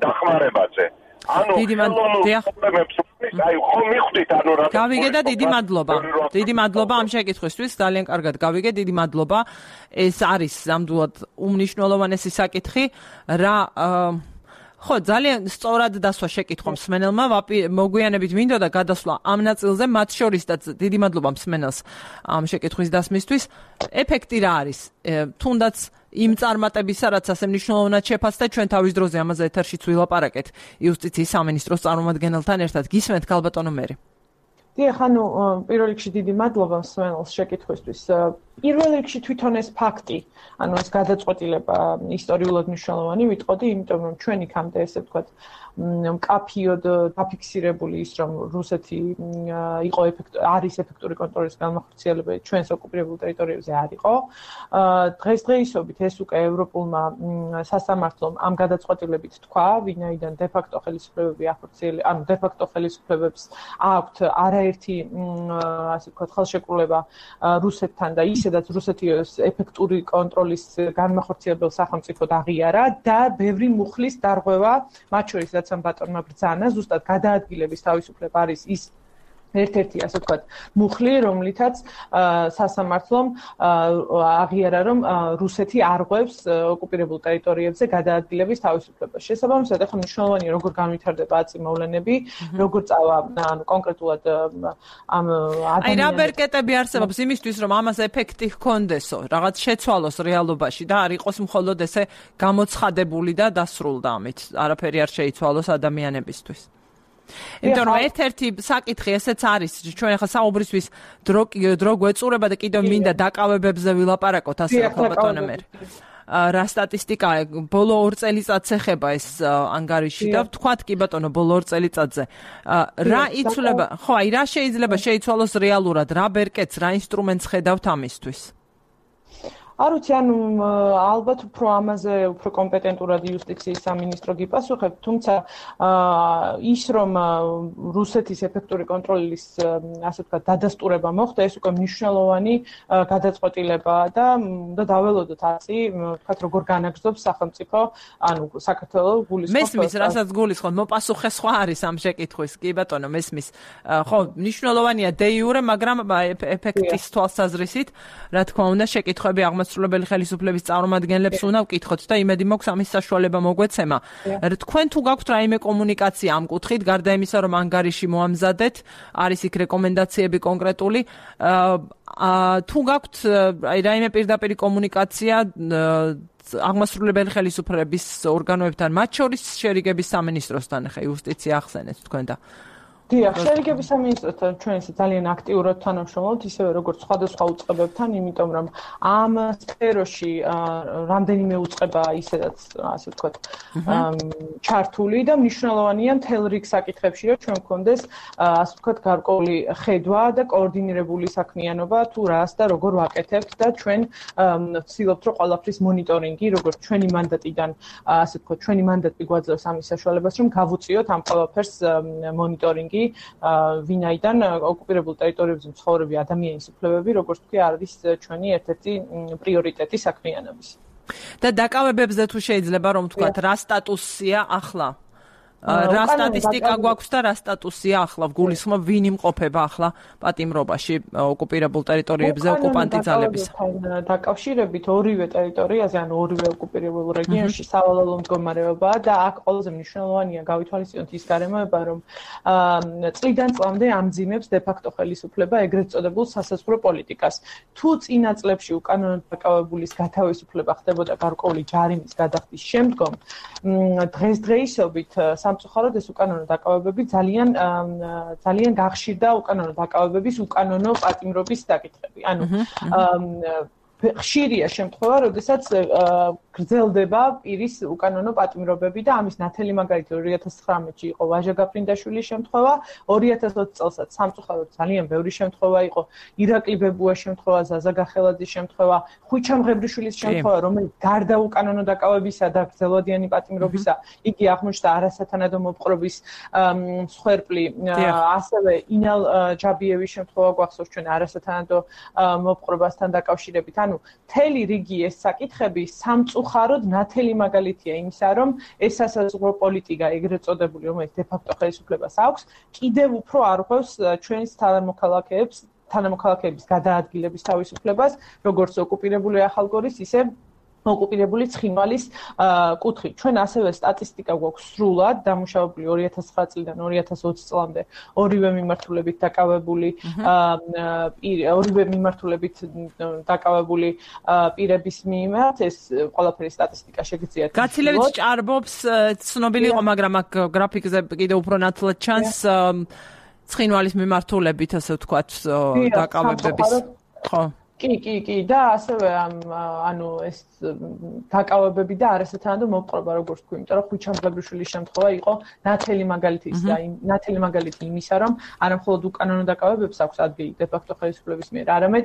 Speaker 3: დახმარებაზე. ანუ ხელოვნურ პრობლემებს ეს აი ხომ მიხვდით ანუ რა
Speaker 1: გავიგე და დიდი მადლობა ამ შეკითხვისთვის ძალიან კარგად გავიგე დიდი მადლობა ეს არის ნამდვილად უმნიშვნელოვანესი საკითხი რა ხო ძალიან სწორად დასვა შეკითხვა მსმენელმა მოგვიანებით მინდოდა გადასვლა ამ ნაწილზე მათ შორისაც დიდი მადლობა მსმენელს ამ შეკითხვის დასმისთვის ეფექტი რა არის თუნდაც იმ წარმატებისა რაც ასე მნიშვნელოვნად შეფასდა ჩვენ თავის დროზე ამაზე ეთერშიც ვილაპარაკეთ იუსტიციის სამინისტროს წარმომადგენელთან ერთად გისმენთ ქალბატონო მერი
Speaker 2: დიახ ანუ პირველ რიგში დიდი მადლობა მსმენელს შეკითხვისთვის პირველ რიგში თვითონ ეს ფაქტი ანუ ეს გადაწყვეტილება ისტორიულად მნიშვნელოვანი ვიტყოდი იმიტომ რომ ჩვენ იქამდე ესე ვთქვათ მკაფიოდ დაფიქსირებული ის რომ რუსეთი იყო არის ეფექტური კონტროლის განმახორციელებელი ჩვენს ოკუპირებულ ტერიტორიებზე არ იყო დღესდღეობით ეს უკვე ევროპულმა სასამართლომ ამ გადაწყვეტილებით თქვა ვინაიდან დე-ფაქტო ხელისუფლებები ახორციელებს ანუ დე-ფაქტო ხელისუფლებებს აქვთ არაერთი ასე ვთქვათ ხელშეკრულება რუსეთთან და ისედაც რუსეთის ეფექტური კონტროლის განმახორციელებელ სახელმწიფოდ აღიარა და ბევრი მუხლის დარღვევა მათ შორის რაც ამ ბატონმა ბრძანა ზუსტად გადაადგილების თავისუფლება არის ის ერთ-ერთი ასე ვთქვათ მუხლი რომლითაც სასამართლომ აღიარა რომ რუსეთი არღვევს ოკუპირებულ ტერიტორიებზე გადაადგილების თავისუფლებას შესაბამისად ახლა მნიშვნელოვანია როგორ განვითარდება აწმოვლენები როგორ წავა ანუ კონკრეტულად ამ
Speaker 1: აი რა ბერკეტები არსებობს იმისთვის რომ ამას ეფექტი ჰქონდესო რაღაც შეცვალოს რეალობაში და არ იყოს მხოლოდ ესე გამოცხადებული და დასრულდა ამით არაფერი არ შეიცვალოს ადამიანებისთვის იმიტომ რომ ერთ-ერთი საკითხი ესეც არის ჩვენ ახლა საუბრისთვის დრო გვეწურება და კიდევ მინდა დაკავებებზე ვილაპარაკოთ ასე ქალბატონო მერი რა სტატისტიკაა ბოლო 2 წელიწადს ეხება ეს ანგარიში და ვთქვათ კი ბატონო ბოლო 2 წელიწადზე რა იცვლება ხო აი რა შეიძლება შეიცვალოს რეალურად რა ბერკეტს რა ინსტრუმენტს ხედავთ ამისთვის
Speaker 2: არ ვიცი, ანუ ალბათ უფრო ამაზე უფრო კომპეტენტურად იუსტიციის სამინისტრო გიპასუხებ, თუმცა ის რომ რუსეთის ეფექტური კონტროლის ასე ვთქვათ დადასტურება მოხდა, ეს უკვე მნიშვნელოვანი გადაწყვეტილებაა და უნდა დაველოდოთ ასე, ვთქვათ, როგორ განაგრძობს სახელმწიფო, ანუ საქართველოს გულისხმობს.
Speaker 1: მესმის, რასაც გულისხმობ, მოპასუხე სხვა არის ამ შეკითხვის, კი ბატონო, მესმის. ხო, მნიშვნელოვანია დე იურე, მაგრამ ეფექტის თვალსაზრისით, რა თქმა უნდა, შეკითხვები აღმასრულებელი ხელისუფლების წარმომადგენლებს უნდა ვკითხოთ და იმედი მაქვს ამის საშუალება მოგვეცემა. თქვენ თუ გაქვთ რაიმე კომუნიკაცია ამ კუთხით, გარდა იმისა, რომ ანგარიში მოამზადეთ, არის იქ რეკომენდაციები კონკრეტული, თუ გაქვთ რაიმე პირდაპირი კომუნიკაცია აღმასრულებელი ხელისუფლების ორგანოებთან, მათ შორის შერიგების სამინისტროსთან, ხა იუსტიცია ახსენეთ თქვენ და
Speaker 2: დიახ, შერიგების სამინისტროსთან ჩვენ ძალიან აქტიურად თანამშრომლობთ, ისევე როგორც სხვადასხვა უწყებებთან, იმიტომ რომ ამ სფეროში რამდენიმე უწყება ისედაც, ასე ვთქვათ, ჩართული და მნიშვნელოვანია მთელ რიგ საკითხებში, რომ ჩვენ გვქონდეს, ასე ვთქვათ, გარკვეული ხედვა და კოორდინირებული საქმიანობა, თუ რას და როგორ ვაკეთებთ და ჩვენ ვცდილობთ, რომ ყველაფრის მონიტორინგი, როგორც ჩვენი მანდატიდან, ასე ვთქვათ, ჩვენი მანდატი გვაძლევს ამის საშუალებას, რომ გავუწიოთ ამ ყველაფერს მონიტორინგი ვინაიდან ოკუპირებულ ტერიტორიებზე მცხოვრები ადამიანის უფლებები, როგორც თქვი, არის ჩვენი ერთ-ერთი პრიორიტეტი საქმიანობის.
Speaker 1: და დაკავებებზე თუ შეიძლება რომ ვთქვათ, რა სტატუსია ახლა? რა სტატისტიკა გვაქვს და რა სტატუსია ახლა? გულისხმობ ვინ იმყოფება ახლა პატიმრობაში ოკუპირებულ ტერიტორიებზე ოკუპანტი ძალების?
Speaker 2: დაკავშირებით ორივე ტერიტორიაზე, ანუ ორივე ოკუპირებულ რეგიონში სავალალო მდგომარეობაა და აქ ყველაზე მნიშვნელოვანია გავითვალისწინოთ ის გარემოება, რომ წლიდან წლამდე ამძიმებს დე-ფაქტო ხელისუფლება ეგრეთ წოდებულ სასაზღვრო პოლიტიკას. თუ წინა წლებში უკანონოდ დაკავებულის გათავისუფლება ხდებოდა გარკვეული ჯარიმის გადახდის შემდგომ, დღესდღეობით სამწუხაროდ ეს უკანონო დაკავებები ძალიან გახშირდა უკანონო დაკავებების უკანონო პატიმრობის საკითხები. ანუ ხშირია შემთხვევა, როდესაც გრძელდება პირის უკანონო პატიმრობები და ამის ნათელი მაგალითი 2019-ში იყო ვაჟა გაფრინდაშვილის შემთხვევა, 2020 წელსაც სამწუხაროდ ძალიან ბევრი შემთხვევა იყო, ირაკლი ბებუას შემთხვევა, ზაზა გახელაძის შემთხვევა, ხვიჩამ ღებრიშვილის შემთხვევა, რომელიც გარდა უკანონო დაკავებისა და გრძელვადიანი პატიმრობისა, იგი აღმოჩნდა არასათანადო მოპყრობის მსხვერპლი, ასევე ინალ ჯაბიევის შემთხვევა გვახსოვს ჩვენ არასათანადო მოპყრობასთან დაკავშირებით. ანუ მთელი რიგი ეს საკითხები სამწუხაროდ ნათელი მაგალითია იმისა, რომ ეს სასაზღვრო პოლიტიკა ეგრეთ წოდებული, რომელიც დე-ფაქტო ხელისუფლებას აქვს, კიდევ უფრო არღვევს ჩვენს თანამოქალაქეების გადაადგილების თავისუფლებას, როგორც ოკუპირებული ახალგორის, ისე ოკუპირებული ცხინვალის კუთხით. ჩვენ ასევე სტატისტიკა გვაქვს სრულად დამუშავებული 2009 წლიდან 2020 წლამდე ორივე მიმართულებით დაკავებული პირების მიმართ ეს ყველაფერი სტატისტიკა შეგიძლიათ.
Speaker 1: გაცილებით ჭარბობს ცნობილი იყო, მაგრამ აქ გრაფიკზე კიდევ უფრო ნათლად ჩანს ცხინვალის მიმართულებით, ასე ვთქვათ, დაკავებების. ხო.
Speaker 2: კი და ასევე ანუ ეს დაკავებები და არასათანადო მოპყრობა როგორც თქვი, იმიტომ რომ ხვიჩამბლებიშვილის შემთხვევა იყო ნათელი მაგალითი იმისა, რომ არა მხოლოდ უკანონო დაკავებებს აქვს ადგილი დე-ფაქტო ხელისუფლების მიერ, არამედ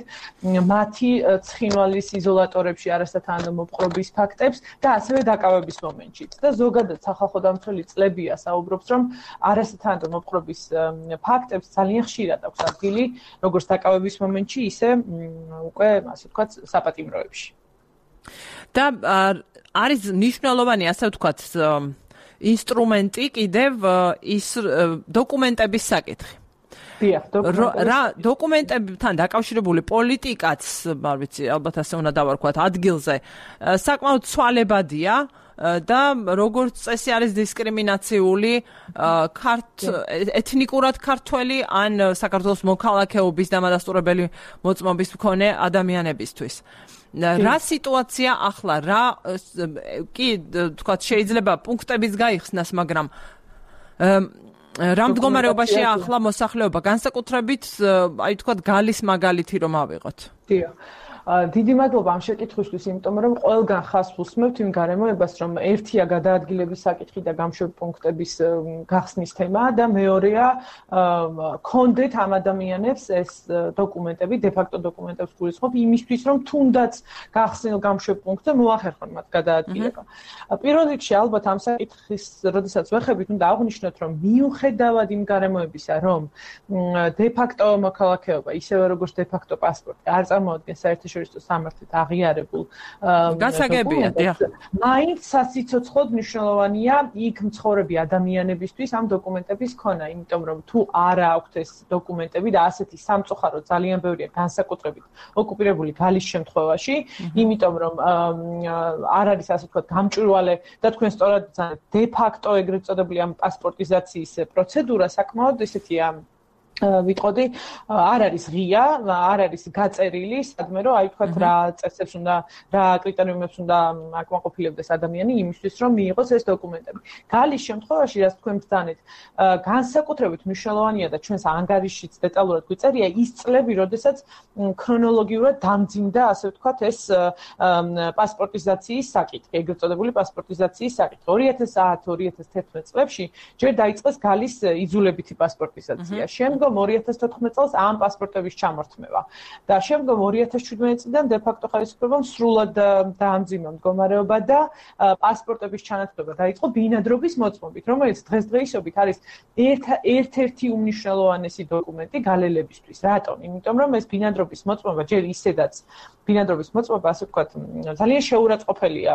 Speaker 2: მათი ცხინვალის იზოლატორებში არასათანადო მოპყრობის ფაქტებს და ასევე დაკავების მომენტშიც. და ზოგადად სახალხო დამცველი წლებია საუბრობს, რომ არასათანადო მოპყრობის ფაქტებს ძალიან ხშირად აქვს ადგილი, როგორც დაკავების მომენტში, ისე უკვე ასე ვთქვათ საპატიმროებში.
Speaker 1: და არის მნიშვნელოვანი ასე ვთქვათ ინსტრუმენტი კიდევ ის დოკუმენტების საკითხი. რა დოკუმენტებთან დაკავშირებული პოლიტიკაც, არ ვიცი, ალბათ ასე უნდა დავარქვათ, ადგილზე საკმაოდ ცვალებადია და როგორც წესი არის დისკრიმინაციული ეთნიკურად ქართველი ან საქართველოს მოქალაქეობის დამადასტურებელი მოწმობის მქონე ადამიანებისთვის. რა სიტუაცია ახლა, კი თქვათ შეიძლება პუნქტების გაიხსნას, მაგრამ რა მდგომარეობაში ახლა მოსახლეობა, განსაკუთრებით აი თქვათ გალის მაგალითი რომ ავიღოთ.
Speaker 2: დიდი მადლობა ამ შეკითხვისთვის, იმიტომ რომ ყველგან ხაზს უსმევთ იმ გარემოებას, რომ ერთია გადაადგილების საკითხი და გამშვები პუნქტების გახსნის თემა და მეორეა კონდეთ ამ ადამიანებს ეს დოკუმენტები, დე-ფაქტო დოკუმენტებს გულისხმობ იმისთვის, რომ თუნდაც გახსნილ გამშვებ პუნქტზე მოახერხონ მათ გადაადგილება. პირველ რიგში ალბათ ამ საკითხის, როდესაც ვეხებით, უნდა აღვნიშნოთ, რომ მიუხედავად იმ გარემოებისა, რომ დე-ფაქტო მოქალაქეობა, ისევე როგორც დე-ფაქტო პასპორტი არ წარმოადგენს საერთაშორისო სამართლით აღიარებულ
Speaker 1: გასაგებია,
Speaker 2: მაინც სასიცოცხლოდ მნიშვნელოვანია იქ მცხოვრები ადამიანებისთვის ამ დოკუმენტების ქონა, იმიტომ რომ თუ არა აქვთ ეს დოკუმენტები და ასეთი სამწუხარო ძალიან ბევრია განსაკუთრებით ოკუპირებული გალის შემთხვევაში, იმიტომ რომ არ არის ასე ვთქვათ გამჭვირვალე და თქვენ სწორად ვცადეთ დე-ფაქტო ეგრეთ წოდებული ამ პასპორტიზაციის პროცედურა საკმაოდ ესეთია ვიტყოდი, არ არის ღია, არ არის გაწერილი, სადმე რომ აი თქვათ რა წესებს უნდა, რა კრიტერიუმებს უნდა აკმაყოფილებდეს ადამიანი იმისთვის, რომ მიიღოს ეს დოკუმენტები. გალის შემთხვევაში, რაც თქვენ ბრძანეთ, განსაკუთრებით მნიშვნელოვანია და ჩვენს ანგარიშშიც დეტალურად გვიწერია ის წლები, როდესაც ქრონოლოგიურად დამძიმდა, ასე ვთქვათ, ეს პასპორტიზაციის საკითხი, ეგრეთ წოდებული პასპორტიზაციის საკითხი. 2010-2011 წლებში ჯერ დაიწყეს გალის იძულებითი პასპორტიზაცია. შემდგომ 2014 წელს ამ პასპორტების ჩამორთმევა და შემდგომ 2017 წლიდან დე-ფაქტო ხელისუფლებამ სრულად დაამძიმა მდგომარეობა და პასპორტების ჩანაცვლება დაიწყო ბინადრობის მოწმობით, რომელიც დღესდღეობით არის ერთ-ერთი უმნიშვნელოვანესი დოკუმენტი გალელებისთვის. რატომ? იმიტომ რომ ეს ბინადრობის მოწმობა ჯერ ისედაც ბინადრობის მოწმობა, ასე ვთქვათ, ძალიან შეურაცხყოფელია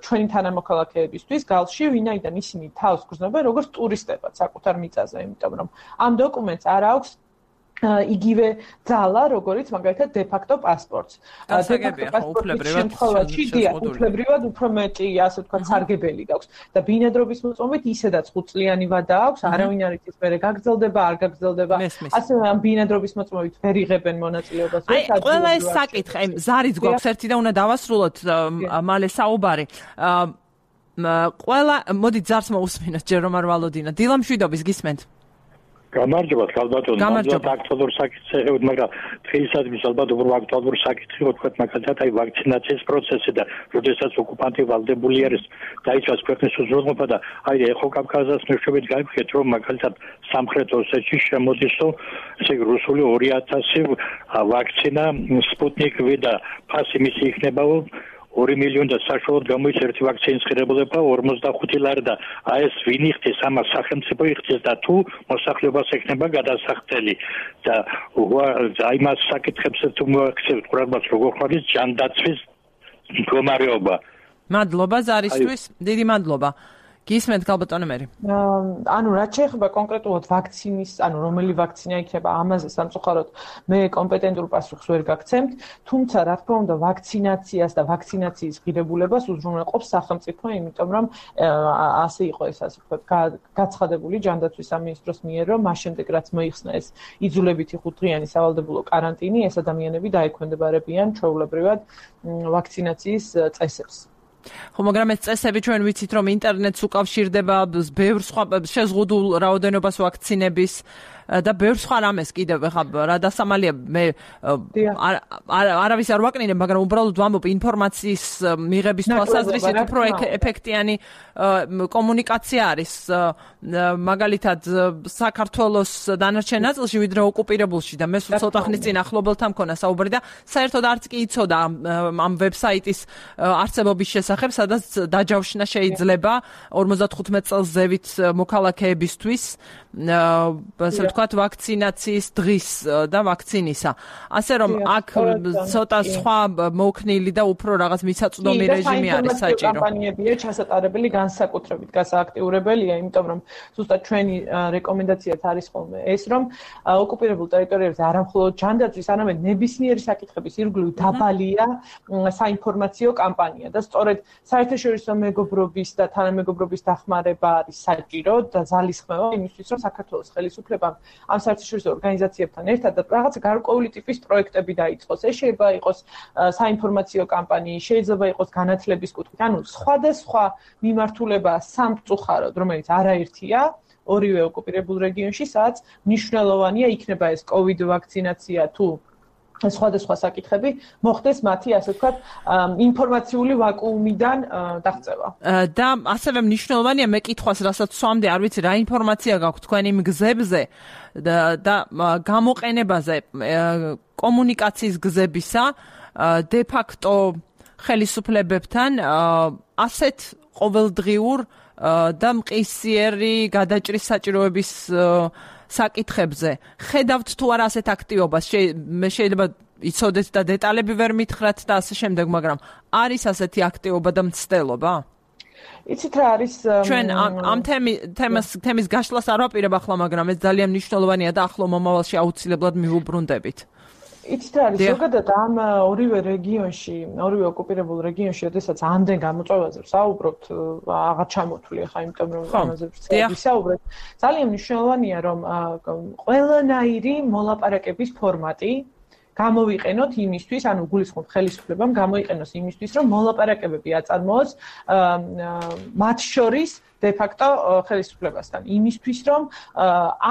Speaker 2: ჩვენი თანამოქალაქეებისთვის გალში, ვინაიდან ისინი თავს გრძნობენ როგორც ტურისტებად საკუთარ მიწაზე, იმიტომ რომ ამ დოკუმენტს არ აქვს იგივე ძალა, როგორც მაგალითად დე-ფაქტო პასპორტს.
Speaker 1: დე-ფაქტო პასპორტის
Speaker 2: შემთხვევაში უფლებრივად უფრო მეტი, ასე ვთქვათ, სარგებელი გაქვს და ბინადრობის მოწმობით ისედაც 5 წლიანი ვადა აქვს, არავინ არ იცის მერე გაგრძელდება, არ გაგრძელდება. ასევე ამ ბინადრობის მოწმობით ვერ იღებენ მონაწილეობას.
Speaker 1: ყველა ეს საკითხი, აი ზარიც გვაქვს ერთი და უნდა დავასრულოთ მალე საუბარი. ყველა მოდით ზარს მოусმინოთ, ჯერ რომ არ ვალოდინა. დილა მშვიდობის გისმენთ.
Speaker 4: გამარჯობა, ალბათ აქტუალურ საკითხზე, მაგრამ დღეისათვის ალბათ უფრო აქტუალურ საკითხი ვთქვათ, მაგალითად აი ვაქცინაციის პროცესი და როდესაც ოკუპანტი ვალდებული არის დაიცვას ქვეყნის უზრუნველყოფა და აი ეხო კავკასიას მეშვეობით გაიფიქრეთ, რომ მაგალითად სამხრეთ ოსეთში შემოდისო ესე იგი რუსული 2000 ვაქცინა სპუტნიკ V და ფასი მისი იქნება 2 მილიონი და საშუალოდ გამოიცა ერთი ვაქცინის ღირებულება 45 ლარი და აი ეს ვინ იხდის ამას სახელმწიფო იხდის და თუ მოსახლეობას ექნება გადასახდელი და აი მას საკითხებს თუ მოაქცევთ ყურადღებას როგორ ხარ ის ჯანდაცვის მდგომარეობა.
Speaker 1: მადლობა ზარისთვის, დიდი მადლობა. გისმენთ გალბატონო მერი.
Speaker 2: ანუ რაც შეეხება კონკრეტულად ვაქცინის, ანუ რომელი ვაქცინა იქნება, ამაზე სამწუხაროდ მე კომპეტენტურ პასუხს ვერ გაგცემთ, თუმცა რა თქმა უნდა ვაქცინაციას და ვაქცინაციის ღირებულებას უზრუნველყოფს სახელმწიფო, იმიტომ რომ ასე იყო ეს ასე ვთქვათ, გაცხადებული ჯანდაცვის სამინისტროს მიერ, რომ მას შემდეგ რაც მოიხსნა ეს იძულებითი 5 დღიანი სავალდებულო კარანტინი, ეს ადამიანები დაექვემდებარებიან ჩვეულებრივად ვაქცინაციის წესებს.
Speaker 1: ხო, მაგრამ ეს წესები ჩვენ ვიცით, რომ ინტერნეტს უკავშირდება ბევრ სხვა შეზღუდულ რაოდენობას ვაქცინების და ბევრ სხვა რამეს კიდევ ხა რა დასამალია მე არავის არ ვაკნინებ, მაგრამ უბრალოდ ვამბობ ინფორმაციის მიღების თვალსაზრისით უფრო ეფექტიანი კომუნიკაცია არის მაგალითად საქართველოს დანარჩენ ნაწილში ვიდრე ოკუპირებულში და მე სულ ცოტა ხნის წინ ახლობელთან მქონა საუბარი და საერთოდ არც კი იცოდა ამ ვებსაიტის არსებობის შესახებ, სადაც დაჯავშნა შეიძლება 55 წელს ზევით მოქალაქეებისთვის ასე ვთქვათ ვაქცინაციის დღის და ვაქცინისა. ასე რომ აქ ცოტა სხვა მოქნილი და უფრო რაღაც მისაწვდომი რეჟიმი არის საჭირო.
Speaker 2: კამპანიებია ჩასატარებელი განსაკუთრებით გასააქტიურებელია, იმიტომ რომ ზუსტად ჩვენი რეკომენდაციაც არის ხოლმე ეს, რომ ოკუპირებულ ტერიტორიებზე არამხოლოდ ჯანდაცვის, არამედ ნებისმიერი საკითხების ირგვლივ დაბალია საინფორმაციო კამპანია და სწორედ საერთაშორისო მეგობრობის და თანამეგობრობის დახმარება არის საჭირო და ძალისხმევა იმისთვის, რომ საქართველოს ხელისუფლებამ ამ საერთაშორისო ორგანიზაციებთან ერთად რაღაცა გარკვეული ტიპის პროექტები დაიწყოს. ეს შეიძლება იყოს საინფორმაციო კამპანიის, შეიძლება იყოს განათლების კუთხით, ანუ სხვადასხვა მიმართულება სამწუხაროდ, რომელიც არაერთია, ორივე ოკუპირებულ რეგიონში, სადაც მნიშვნელოვანია იქნება ეს COVID ვაქცინაცია თუ სხვადასხვა საკითხები მოხდეს მათი ასე ვთქვათ ინფორმაციული ვაკუუმიდან დაღწევა.
Speaker 1: და ასევე მნიშვნელოვანია მე კითხვას რასაც სვამდი, არ ვიცი რა ინფორმაცია გაქვთ თქვენ იმ გზებზე და გამოყენებაზე კომუნიკაციის გზებისა de facto ხელისუფლებებთან ასეთ ყოველდღიურ და მყისიერი გადაჭრის საჭიროების საკითხებზე. ხედავთ თუ არა ასეთ აქტივობას, მე შეიძლება იცოდეთ და დეტალები ვერ მითხრათ და ასე შემდეგ, მაგრამ არის ასეთი აქტივობა და მცდელობა?
Speaker 2: იცით რა არის
Speaker 1: ჩვენ ამ თემის გაშლას არ ვაპირებ ახლა, მაგრამ ეს ძალიან მნიშვნელოვანია და ახლო მომავალში აუცილებლად მივუბრუნდებით.
Speaker 2: იცით რა არის ზოგადად ამ ორივე რეგიონში, ორივე ოკუპირებულ რეგიონში, როდესაც ამდენ გამოწვევაზე ვსაუბრობთ, აღარ ჩამოთვლი ხა, იმიტომ რომ ამაზე ვსაუბრობთ. ძალიან მნიშვნელოვანია, რომ ყველანაირი მოლაპარაკების ფორმატი გამოვიყენოთ იმისთვის, ანუ გულისხმობ ხელისუფლებამ გამოიყენოს იმისთვის, რომ მოლაპარაკებები აწარმოოს მათ შორის de facto ხელისუფლებასთან. იმისთვის, რომ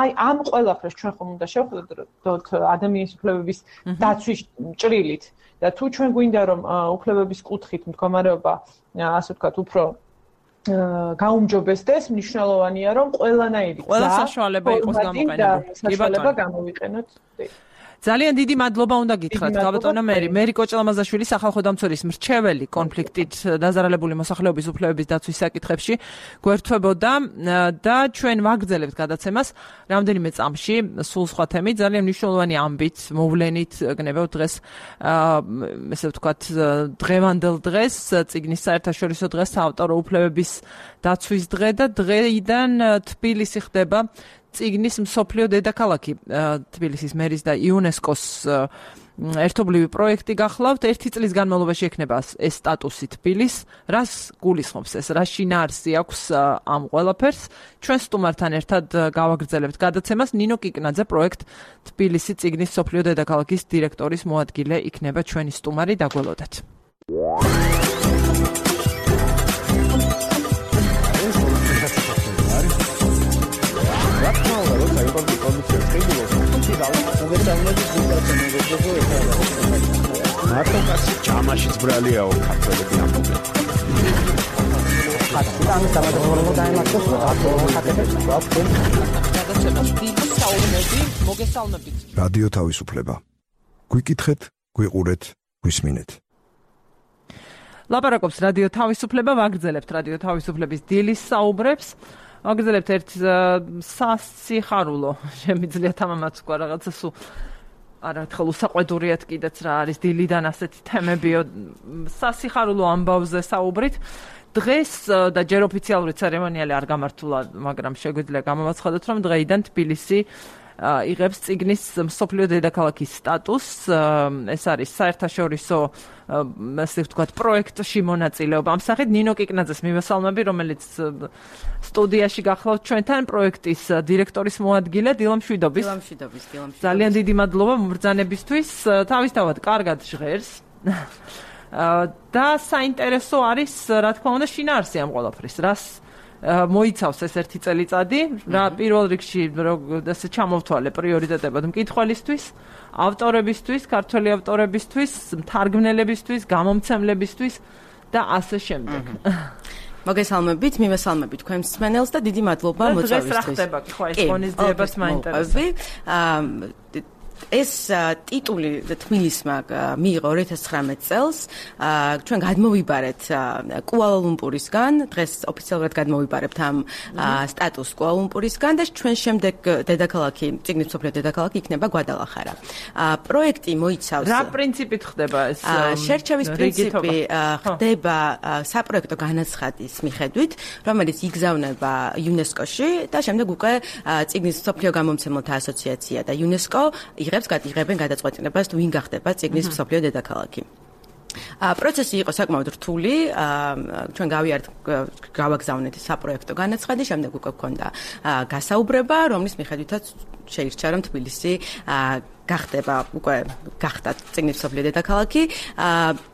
Speaker 2: აი ამ ყველაფერს ჩვენ ხომ უნდა შევხედოთ ადამიანის უფლებების დაცვის ჭრილით და თუ ჩვენ გვინდა რომ უფლებების კუთხით მდგომარეობა ასე ვთქვათ უფრო გაუმჯობესდეს, მნიშვნელოვანია რომ ყველანაირი
Speaker 1: საშუალება იყოს გამოყენებული.
Speaker 2: საშუალება გამოვიყენოთ.
Speaker 1: ძალიან დიდი მადლობა უნდა გითხრათ გალბატონო მერი კოჭლამაზაშვილი, სახალხო დამცველის მრჩეველი კონფლიქტით დაზარალებული მოსახლეობის უფლებების დაცვის საკითხებში გვერდთვებოდა და ჩვენ ვაგრძელებთ გადაცემას რამდენიმე წამში სულ სხვა თემით, ძალიან მნიშვნელოვანი ამბით მოვლენით გნებავთ დღეს ესე ვთქვათ დღევანდელ დღეს, წიგნის საერთაშორისო დღეს, საავტორო უფლებების დაცვის დღე და დღეიდან თბილისი ხდება წიგნის მსოფლიო დედაქალაქი. თბილისის მერის და იუნესკოს ერთობლივი პროექტი გახლავთ. 1 წლის განმავლობაში ექნება ეს სტატუსი თბილის. რას გულისხმობს ეს? რა შინაარსი აქვს ამ ყველაფერს? ჩვენ სტუმართან ერთად გავაგრძელებთ გადაცემას. ნინო კიკნაძე, პროექტ თბილისი წიგნის მსოფლიო დედაქალაქის დირექტორის მოადგილე იქნება ჩვენი სტუმარი. დაგველოდეთ.
Speaker 5: მარტოკასი ჯამაშიც ბრალიაო ქართველები ამბობენ. რადიო თავისუფლება. გვიკითხეთ, გვიყურეთ, გვისმინეთ.
Speaker 1: ლაპარაკობს რადიო თავისუფლება, ვაგრძელებთ რადიო თავისუფლების დილის საუბრებს. ვაგრძელებთ ერთ სასიხარულო, შემიძლია თამამაც თქვა რაღაცა სულ არა თქო უსაყვედურიათ კიდეც რა არის დილიდან ასეთი თემებიო სასიხარულო ამბავზე საუბრით დღეს და ჯერ ოფიციალური ცერემონიალი არ გამართულა მაგრამ შეგვიძლია გამოვაცხადოთ რომ დღეიდან თბილისი იღებს წიგნის მსოფლიო დედაქალაქის სტატუსს ეს არის საერთაშორისო ასე ვთქვათ პროექტში მონაწილეობა ამ სახით ნინო კიკნაძეს მივესალმები რომელიც სტუდიაში გახლავთ ჩვენთან პროექტის დირექტორის მოადგილე დილამ შვიდობის ძალიან დიდი მადლობა მბრძანებისთვის თავისთავად კარგად ჟღერს და საინტერესო არის რა თქმა უნდა შინაარსი ამ ყველაფრის რას მოიცავს ეს ერთი წელიწადი რა პირველ რიგში ასე ჩამოვთვალე პრიორიტეტებად მკითხველისთვის ავტორებისთვის ქართველი ავტორებისთვის მთარგმნელებისთვის გამომცემლებისთვის და ასე შემდეგ
Speaker 6: მოგესალმებით მივესალმებით თქვენ მსმენელს და დიდი მადლობა მოწვევისთვის
Speaker 1: დღეს რა ხდება ხო ეს ღონისძიებას მაინტერესებს
Speaker 6: ეს ტიტული თბილისმა მიიღო 2019 წელს ჩვენ გადმოვიბარეთ კუალა-ლუმპურისგან დღეს ოფიციალურად გადმოვიბარებთ ამ სტატუსს კუალა-ლუმპურისგან და ჩვენ შემდეგ დედაქალაქი წიგნის მსოფლიო დედაქალაქი იქნება გვადალახარა პროექტი მოიცავს
Speaker 1: რა პრინციპით ხდება ეს
Speaker 6: შერჩევის პრინციპი ხდება საპროექტო განაცხადის მიხედვით რომელიც იგზავნება იუნესკოში და შემდეგ უკვე წიგნის მსოფლიო გამომცემელთა ასოციაცია და იუნესკო იღებენ გადაწყვეტილებას თუ ვინ გახდება წიგნის მსოფლიო დედაქალაქი. პროცესი იყო საკმაოდ რთული, ჩვენ გავაგზავნეთ საპროექტო განაცხადი, შემდეგ უკვე გქონდა გასაუბრება, რომლის მიხედვითაც შეირჩა რომ თბილისი გახდა წიგნის მსოფლიო დედაქალაქი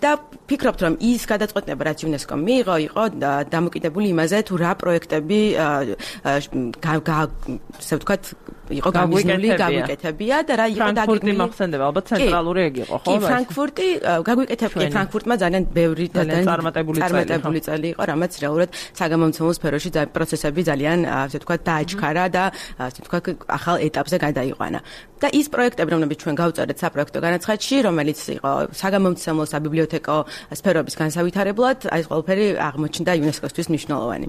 Speaker 6: და ფიქრობთ რომ ის გადაწყვეტილება რაც იუნესკომ მიიღო იყო დამოკიდებული იმაზე თუ რა პროექტები ასე ვთქვათ იყო გამიზნული გაგვიკეთებია და რა იყო
Speaker 1: დაგეგმილი მახსენდება ალბათ ცენტრალური ეგ იყო ხო
Speaker 6: ფრანკფურტი გაგვიკეთებია ფრანკფურტმა ძალიან ბევრი და წარმატებული წელი იყო რამაც რეალურად საგამომცემლო სფეროში პროცესები ძალიან ასე ვთქვათ დააჩქარა და ასე ვთქვათ ახალ ეტაპზე გადაიყვანა და ის პროექტები რომლებიც ჩვენ გავწერეთ საპროექტო განაცხადში რომელიც იყო საგამომცემლო საბიბლიოთეკო სფეროების განსავითარებლად აი ეს ყველაფერი აღმოჩნდა იუნესკოსთვის მნიშვნელოვანი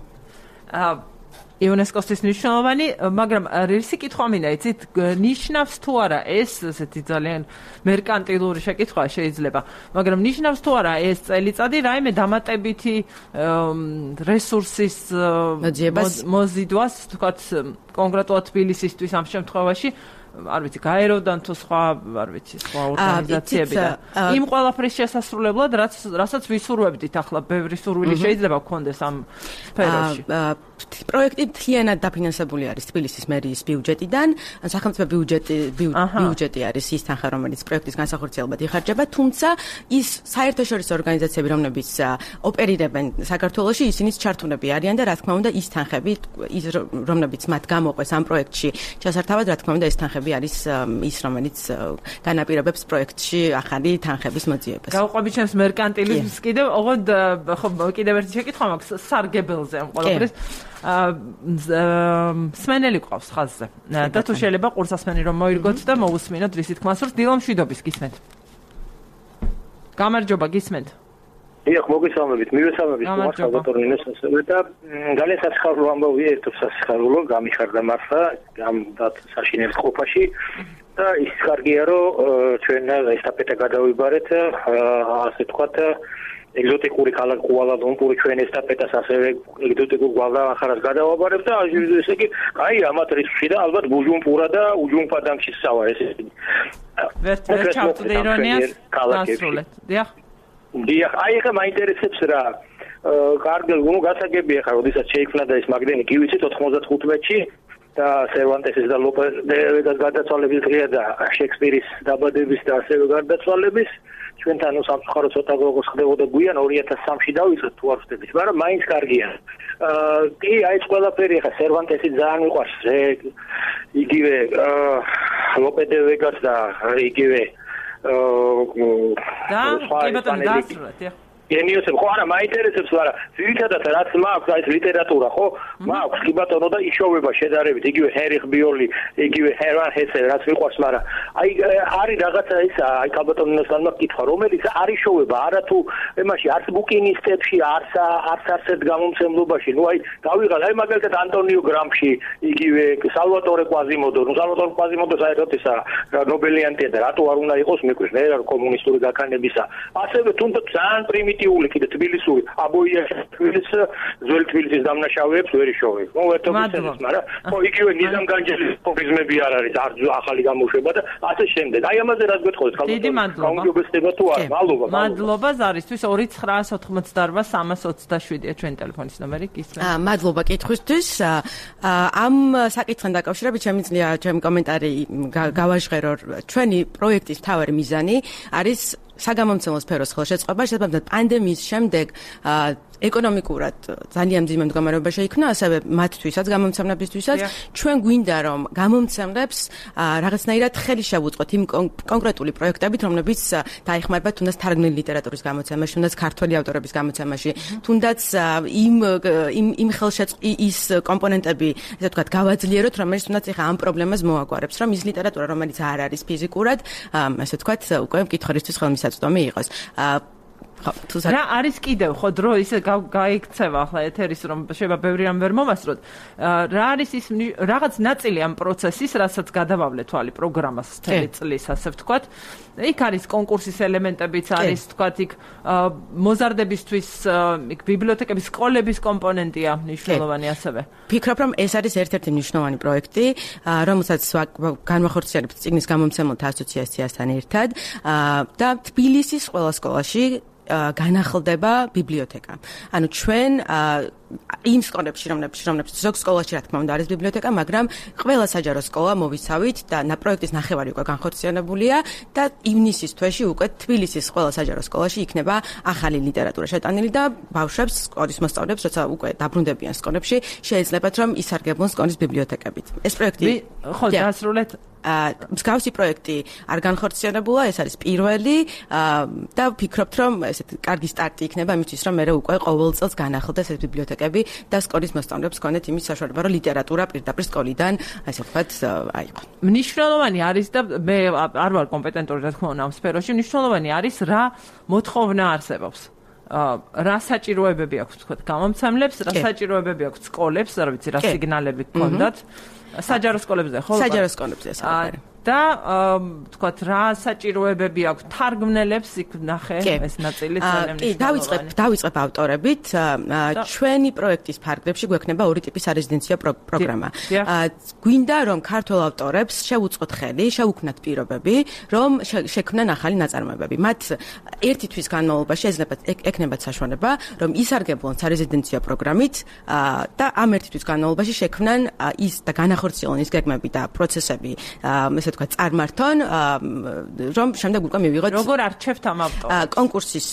Speaker 1: იუნესკოსთვის მნიშვნელოვანი, მაგრამ რისი კითხვა მინდა, იცით, ნიშნავს თუ არა ეს, ესეთი ძალიან მერკანტილური შეკითხვა შეიძლება, მაგრამ ნიშნავს თუ არა ეს წელიწადი რაიმე დამატებითი რესურსის მოზიდვას, თქვათ, კონკრეტულად თბილისისთვის ამ შემთხვევაში არ ვიცი, გაეროდან თუ სხვა, არ ვიცი, სხვა ორგანიზაციებიდან. იმ ყველაფრის შესასრულებლად, რასაც ვისურვებდით ახლა, ბევრი სურვილი შეიძლება გქონდეს ამ სფეროში.
Speaker 6: პროექტი მთლიანად დაფინანსებული არის თბილისის მერიის ბიუჯეტიდან, სახელმწიფო ბიუჯეტი არის ის თანხა, რომელიც პროექტის განსახორციელებად იხარჯება, თუმცა ის საერთაშორისო ორგანიზაციები, რომლებიც ოპერირებენ საქართველოში, ისინიც ჩართულები არიან და რა თქმა უნდა, ის თანხები, რომლებიც მათ გამოყვეს ამ პროექტში, ჩასართავად, რა თქმა უნდა, ეს თანხები არის ის, რომელიც განაპირობებს პროექტში ახალი თანხების მოძიებას.
Speaker 1: გავყვებით ჩემს მერკანტილიზმს კიდევ, ოღონდ ხო კიდევ ერთი შეკითხვა მაქვს სარგებელზე ამ ყველაფრის. სმენელი ყავს ხაზზე. და თუ შეიძლება ყურსასმენი რომ მოირგოთ და მოусმინოთ რისი თქმა სურს დილამ შვიდობის გისმენთ. გამარჯობა გისმენთ.
Speaker 4: დიახ, მოგესალმებით. მივესალმებით ხალხატორნინეს ასევე და ძალიან სასიხარულო ამბავია, ერთობ სასიხარულო, გამიხარდა მართლა ამ საშინელ ყოფაში და ის კარგია რომ ჩვენ ესტაფეტა გადავიბარეთ, ასე ვთქვათ ეგზოტიკური ქალაქ კუალა-ლუმპური ჩვენ ესტაფეტას ასევე ეგზოტიკურ გვადალახარას გადავაბარებთ და ესე იგი, აი ამათ რისკში და ალბათ ბუჯუმპურა და უჯუმპადანში სავა ეს.
Speaker 1: ვერ ჩავწვდე ირონიას დასრულეთ. დიახ.
Speaker 4: დიახ, აი ხა მაინტერესებს რა. კარგი, ნუ გასაგებია ხა, როდესაც შეიქმნა და ეს მაგდენი კი ვიცით 95-ში და სერვანტესის და ლოპეს დე ვეგას გარდაცვალების დღეა და შექსპირის დაბადების და ასევე გარდაცვალების ჩვენთან სამწუხარო ცოტა როგორ ხდებოდა გვიან 2003-ში დავიწყეთ თუ არ ვხდებით, მაგრამ მაინც კარგია. კი, აი ეს ყველაფერი ხა სერვანტესი ძალიან მიყვარს, იგივე ლოპე დე ვეგას და იგივე
Speaker 1: და კი ბატონო დასრულეთ.
Speaker 3: გენიოსები ხო არა მაინტერესებს მაგრამ ძირითადად რაც მაქვს აი ეს ლიტერატურა ხო მაქვს კი ბატონო და იშოვება შედარებით იგივე ჰერიხ ბიოლი იგივე ჰერმან ჰესე რაც მიყვარს მაგრამ აი არის რაღაცა ის აი კაბატონოსანმა კითხვა რომელიც არ იშოვება არა თუ ემაში არც ბუკინისტებში არც ასეთ გამომცემლობაში ნუ აი გავიღალ აი მაგალითად ანტონიო გრამში იგივე სალვატორე კვაზიმოდო ნუ სალვატორე კვაზიმოდო საერთოდ ისა ნობელიანტია და რატო არ უნდა იყოს მეკვირს მე კომუნისტური გაქანებისა ასევე თუნდაც ძალიან პრიმიტიული კიდე თბილისური აბოიაში ძველი თბილისის დამნაშავეებს ვერ იშოვებს ნუ ერთობისას მაგრამ ხო იგივე ნიზამ განჯელის პრობლემები არ არის არ ახალი გამოშვება და ასე შემდეგ აი ამაზე რაც გეტყოდეთ გაუმჯობესდება თუ არა
Speaker 1: მადლობა ზარისთვის 2988 ჩვენი ტელეფონის ნომერი გისმენთ
Speaker 6: მადლობა კითხვისთვის ამ საკითხთან დაკავშირებით შემიძლია ჩემი კომენტარი გავაჟღერო ჩვენი პროექტის მთავარი მიზანი არის საგამომცემლო სფეროს ხელშეწყობა შესაბამისად პანდემიის შემდეგ ეკონომიკურად ძალიან მძიმე მდგომარეობა შეიქმნა, ასევე მათთვისაც, გამომცემლებისთვისაც, ჩვენ გვინდა რომ გამომცემლებს რაღაცნაირად ხელი შევუწყოთ იმ კონკრეტული პროექტებით, რომლებიც დაეხმარება თუნდაც თარგმნილი ლიტერატურის გამოცემაში, თუნდაც ქართველი ავტორების გამოცემაში, თუნდაც იმ ის კომპონენტები, ესე ვთქვათ, გავაძლიეროთ, რომელიც თუნდაც ეხა ამ პრობლემას მოაგვარებს, რომ ის ლიტერატურა, რომელიც არ არის ფიზიკურად, ესე ვთქვათ, უკვე მკითხველისთვის ხელმისაწვდომი იყოს.
Speaker 1: რა არის კიდევ ხო დრო ისე გაიქცევა ახლა ეთერის რომ შეიძლება ბევრი რამ ვერ მომასწროთ რა არის ის რაღაც ნაწილი ამ პროცესის რასაც გადავავლე თვალი პროგრამას მთელი წლის ასე ვთქვათ იქ არის კონკურსის ელემენტებიც არის ვთქვათ იქ მოზარდებისთვის იქ ბიბლიოთეკების სკოლების კომპონენტია მნიშვნელოვანი ასევე
Speaker 6: ფიქრობ რომ ეს არის ერთ-ერთი მნიშვნელოვანი პროექტი რომელსაც განვახორციელებთ წიგნის გამომცემლთა ასოციაციასთან ერთად და თბილისის ყველა სკოლაში განახლდება ბიბლიოთეკა. ანუ ჩვენ იმ სკოლებში, რომლებიც ზოგ სკოლაში რა თქმა უნდა არის ბიბლიოთეკა, მაგრამ ყველა საჯარო სკოლა მოვიცავით და პროექტის ნახევარი უკვე განხორციელებულია და ივნისის თვეში უკვე თბილისის ყველა საჯარო სკოლაში იქნება ახალი ლიტერატურა შეტანილი და ბავშვებს, სკოლის მოსწავლეებს, როცა უკვე დაბრუნდებიან სკოლებში, შეეძლებათ რომ ისარგებლონ სკოლის ბიბლიოთეკებით. ეს პროექტი
Speaker 1: ხო დაასრულეთ
Speaker 6: მსგავსი პროექტი არ განხორციელებულა, ეს არის პირველი და ვფიქრობთ რომ ესეთ კარგი სტარტი იქნება იმისთვის რომ მე უკვე ყოველ წელს განახლდეს ეს ბიბლიოთეკები და სკოლის მოსწავლეებს ჰქონდეთ იმის საშუალება რომ ლიტერატურა პირდაპირ სკოლიდან ასე ვთქვათ აიყო.
Speaker 1: მნიშვნელოვანი არის და მე არ ვარ კომპეტენტური რა თქმა უნდა ამ სფეროში, მნიშვნელოვანი არის რა მოთხოვნა არსებობს. რა საჭიროებები აქვს ვთქვათ გამომცემლებს, რა საჭიროებები აქვს სკოლებს, რა ვიცი, რა სიგნალები გქონდათ. საჯარო სკოლებზე ხო?
Speaker 6: საჯარო სკოლებზე საერთოდ.
Speaker 1: და ვთქვათ რა საჭიროებები აქვს თარგმნელებს იქ ნახე ეს ნაწილი ძალიან
Speaker 6: მნიშვნელოვანია. დავიწყებ ავტორებით. ჩვენი პროექტის ფარგლებში გვექნება ორი ტიპის არეზიდენციო პროგრამა. გვინდა რომ ქართველ ავტორებს შევუწყოთ ხელი, შევუქმნათ პირობები, რომ შექმნან ახალი ნაწარმოებები. მათ ერთი თვის განმავლობაში ეკნებათ საშუალება, რომ ისარგებლონ სარეზიდენციო პროგრამით და ამ ერთი თვის განმავლობაში შექმნან ის და განახორციელონ ის გეგმები და პროცესები, ესე ვთქვათ, წარმართონ, რომ შემდეგ უკვე მივიღოთ
Speaker 1: როგორ არჩევთ ამ ავტორებს?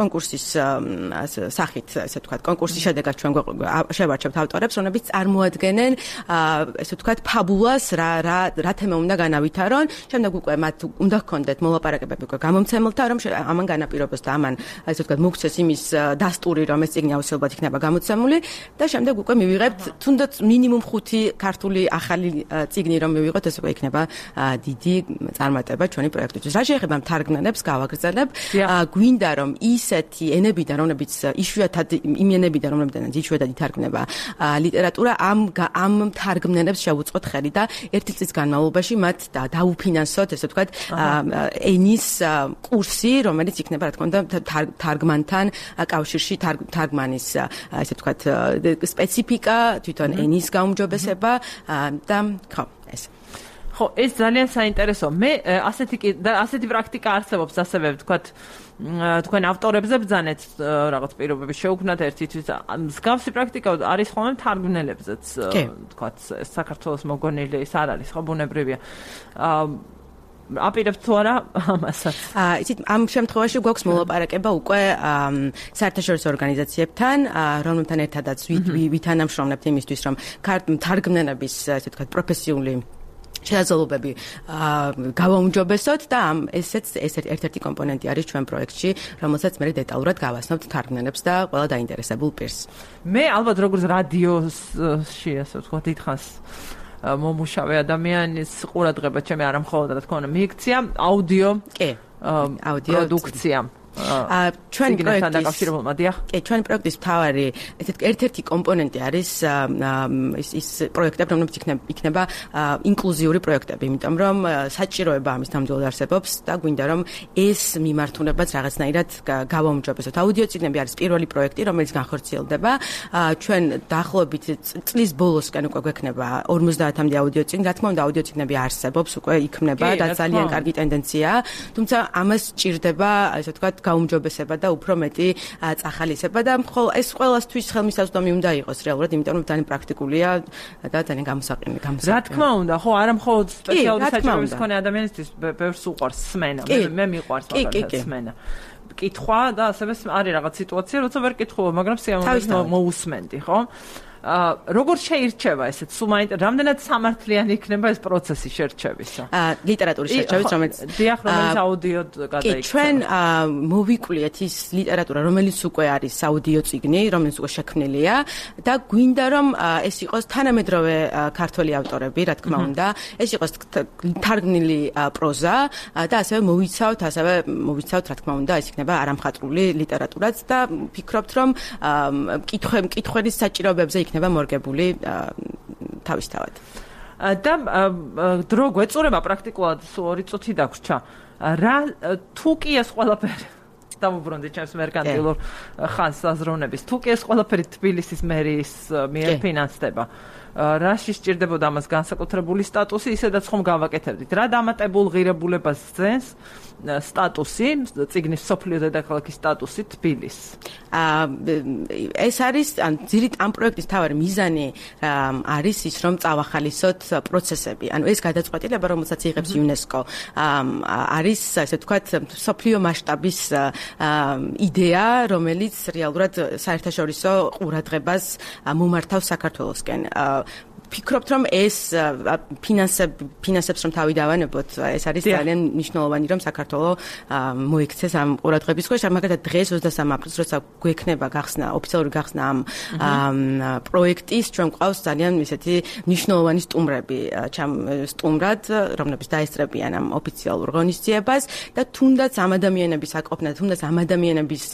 Speaker 6: კონკურსის სახით, ესე ვთქვათ, კონკურსის შედეგად ჩვენ შევარჩევთ ავტორებს, რომლებიც წარმოადგენენ, ესე ვთქვათ, ფაბულას, რა თემა უნდა განავითარონ, შემდეგ უკვე მათ უნდა ჰქონდეთ მოლაპარაკებები უკვე გამომცემლთა, რომ ამან განაპირობოს და ამან, ესე ვთქვათ, მოგცეს იმის დასტური, რომ ეს წიგნი აუცილებლად იქნება გამოცემული და შემდეგ უკვე მივიღებთ თუნდაც მინიმუმ 5 ქართული ახალი წიგნი რომ მივიღოთ, ეს უკვე იქნება დიდი წარმატება ჩვენი პროექტისთვის. რა შეეხება თარგმნელებს გავაგრძელებ, გვინდა რომ ისეთი ენებიდან, რომლებიც იშვიათად იმ ენებიდან, რომლებიდანაც იშვიათად ითარგმნება ლიტერატურა, ამ თარგმნელებს შევუწყოთ ხელი და ერთი წლის განმავლობაში მათ დაუფინანსოთ, ესე ვთქვათ, ენის კურსი, რომელიც იქნება, რა თქმა უნდა, თარგმანთან კავშირში, თარგმანის, ესე ვთქვათ, სპეციფიკა, თვითონ ენის გაუმჯობესება და ხო, ეს
Speaker 1: ხო, ეს ძალიან საინტერესო. მე ასეთი პრაქტიკა არსებობს, ასევე ვთქვათ, თქვენ ავტორებზე ბრძანეთ რაღაც პირობები შეუქმნათ ერთისთვის. მსგავსი პრაქტიკა არის ხოლმე თარგმნელებზეც, ვთქვათ, საქართველოს მოგონილი ის არ არის, ხო, ბუნებრივია. აპირებთ თუ არა ამასაც?
Speaker 6: იცით, ამ შემთხვევაში გვაქვს მოლაპარაკება უკვე საერთაშორისო ორგანიზაციებთან, რომლებთან ერთადაც ვითანამშრომლებთ იმისთვის, რომ თარგმნელების, ესე ვთქვათ, პროფესიული შესაძლებლობები გავაუმჯობესოთ და ესეც ერთ-ერთი კომპონენტი არის ჩვენ პროექტში, რომელსაც მე დეტალურად გავასწავლთ თარგმნელებს და ყველა დაინტერესებულ პირს.
Speaker 1: მე ალბათ როგორც რადიოში ასე ვთქვათ, დიდხანს მომუშავე ადამიანის ყურადღება ჩემი არ მხოლოდ რა თქმა უნდა მიიქცია აუდიო პროდუქცია. ჩვენ პროექტთან დაკავშირებულმა დიახ.
Speaker 6: ჩვენ პროექტის მთავარი ერთ-ერთი კომპონენტი არის ის პროექტები, რომლებიც იქნება ინკლუზიური პროექტები, იმიტომ რომ საჭიროება ამის ნამდვილად არსებობს და გვინდა რომ ეს მიმართულებაც რაღაცნაირად გავაუმჯობესოთ. აუდიო წიგნები არის პირველი პროექტი, რომელიც განხორციელდება. ჩვენ დაახლოებით წლის ბოლოსკენ უკვე გვექნება 50-მდე აუდიო წიგნი. რა თქმა უნდა, აუდიო წიგნები არსებობს, უკვე იქმნება და ძალიან კარგი ტენდენციაა. თუმცა ამას სჭირდება, ასე ვთქვათ, გაუმჯობესება და უფრო მეტი წახალისება და ეს ყველასთვის ხელმისაწვდომი უნდა იყოს რეალურად, იმიტომ რომ ძალიან პრაქტიკულია და ძალიან გამოსაყენელი.
Speaker 1: რა თქმა უნდა, ხო, არა მხოლოდ სპეციალური საჭიროების მქონე ადამიანისთვის ბევრს უყვარს სმენა. მე მიყვარს მაგალითად სმენა. კითხვა და ასევე არის რაღაც სიტუაცია, როცა ვერ კითხულობ, მაგრამ სიამოვნებით მოусმენდი, ხო? როგორ შეირჩევა ესეც? რამდენად სამართლიანი იქნება ეს პროცესი შერჩევისა?
Speaker 6: ლიტერატურის შერჩევის, რომელიც
Speaker 1: რომელიც აუდიოდ გადაიქცა.
Speaker 6: ჩვენ მოვიკვლიეთ ის ლიტერატურა, რომელიც უკვე არის აუდიო წიგნი, რომელიც უკვე შექმნილია და გვინდა რომ ეს იყოს თანამედროვე ქართველი ავტორები, რა თქმა უნდა, ეს იყოს თარგმნილი პროზა და ასევე მოვიცავთ, რა თქმა უნდა, ეს იქნება არამხატვრული ლიტერატურაც და ვფიქრობთ რომ კითხვის საჭიროებებზე იქნება მორგებული თავისთავად.
Speaker 1: და დრო გვეწურება პრაქტიკულად სულ 2 წუთი დაგვრჩა. რა თუ კი ეს ყველაფერი დავუბრუნდი ჩემს მერკანტილურ ხანს საზროვნების. თუ კი ეს ყველაფერი თბილისის მერიის მიერ ფინანსდება, რაში სჭირდებოდა ამას განსაკუთრებული სტატუსი, ისედაც ხომ გავაკეთებდით. რა დამატებულ ღირებულებას ძენს სტატუსი, წიგნის მსოფლიო დედაქალაქის სტატუსი თბილისს?
Speaker 6: ეს არის ამ პროექტის მთავარი მიზანი არის ის, რომ წავახალისოთ პროცესები. ანუ ეს გადაწყვეტილება, რომელსაც იღებს იუნესკო, არის ასე ვთქვათ, მსოფლიო მასშტაბის იდეა, რომელიც რეალურად საერთაშორისო ყურადღებას მომართავს საქართველოსკენ. ვფიქრობთ, რომ ეს ფინანსებს რომ თავი დავანებოთ, ეს არის ძალიან მნიშვნელოვანი, რომ საქართველო მოიქცეს ამ ყურადღების ქვეშ. მაგალითად, დღეს 23 აპრილს, როცა გვექნება ოფიციალური გახსნა ამ პროექტის, ჩვენ გვყავს ძალიან ისეთი მნიშვნელოვანი სტუმრად, რომლებიც დაესწრებიან ამ ოფიციალურ ღონისძიებას და თუნდაც ამ ადამიანების აკოფნა, თუნდაც ამ ადამიანების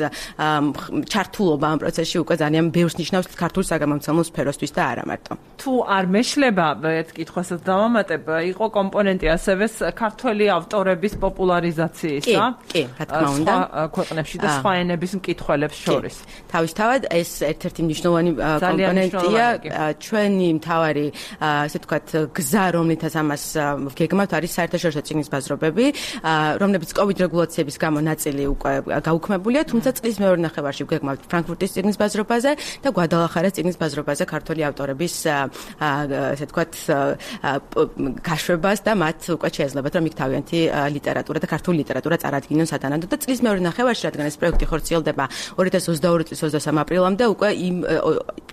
Speaker 6: ჩართულობა ამ პროცესში უკვე ძალიან ბევრს ნიშნავს ქართულ საგამომცემლო სფეროსთვის და არა მარტო.
Speaker 1: თუ არ მეშლება, ერთ კითხვასაც დავამატებ, იყო კომპონენტი ასევე ქართველი ავტორების პოპულარიზაციისა.
Speaker 6: კი, რა თქმა უნდა.
Speaker 1: ქვეყნებში და სხვა ენების მკითხველებს შორის.
Speaker 6: თავისთავად ეს ერთ-ერთი მნიშვნელოვანი კომპონენტია. ჩვენი მთავარი, ასე ვთქვათ, გზა, რომლითაც ამას ვგეგმავთ, არის საერთაშორისო წიგნის ბაზრობები, რომლებიც COVID რეგულაციების გამო ნაწილი უკვე გაუქმებულია, თუმცა წლის მეორე ნახევარში ვგეგმავთ ფრანკფურტის წიგნის ბაზრობაზე და გვადალახარას წიგნის ბაზრობაზე ქართველი ავტორების ასე ვთქვათ, გაშვებას და მათ უკვე შეეძლებათ, რომ იქ თავიანთი ლიტერატურა და ქართული ლიტერატურა წარადგინონ სათანადოდ და წლის მეორე ნახევარში, რადგან ეს პროექტი ხორციელდება 2022 წლის 23 აპრილამდე, უკვე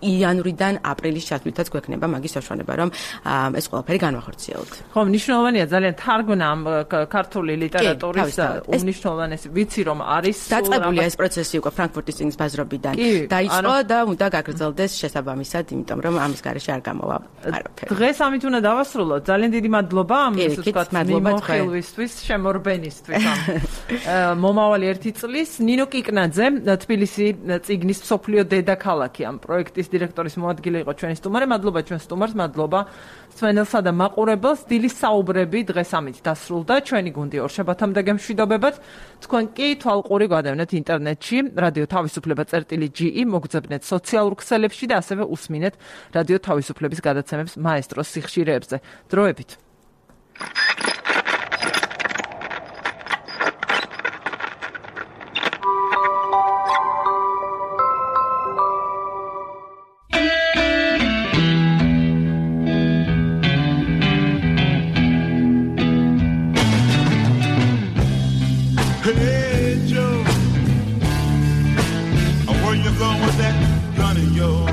Speaker 6: იანვრიდან აპრილის ჩათვლითაც გვექნება მაგის საშუალება, რომ ეს ყველაფერი განვახორციელოთ.
Speaker 1: ხო, მნიშვნელოვანია ძალიან თარგმნა ამ ქართული ლიტერატურის უმნიშვნელოვანესი. ვიცი რომ არის
Speaker 6: დაწყებულია ეს პროცესი უკვე ფრანკფურტის წიგნის ბაზრობიდან. დაიწყო და უნდა გაგრძელდეს შესაბამისად, იმიტომ რომ ამის გარეშე არ გამოვა არაფერი.
Speaker 1: დღეს ამით უნდა დავასრულოთ. ძალიან დიდი მადლობა ამ მიმოხილვისთვის, შემორბენისთვის. მომავალი 1 წლის ნინო კიკნაძე, თბილისი წიგნის მსოფლიო დედაქალაქი ამ პროექტის დირექტორის მოადგილე იყო ჩვენი სტუმარი. მადლობა ჩვენ სტუმარს, მადლობა სვენელსა და მაყურებელს. დილის საუბრები დღეს ამით დასრულდა. ჩვენი გუნდი ორშაბათამდე გემშვიდობებათ. თქვენ კი თვალყური გადავნეთ ინტერნეტში, რადიო თავისუფლება.ge, მოგძებნეთ სოციალურ ქსელებში და ასევე უსმინეთ რადიო თავისუფლების გადაცემებს მაესტროს სიხშირეებზე. დროებით.
Speaker 7: Hey Joe, where you going with that gun of yours?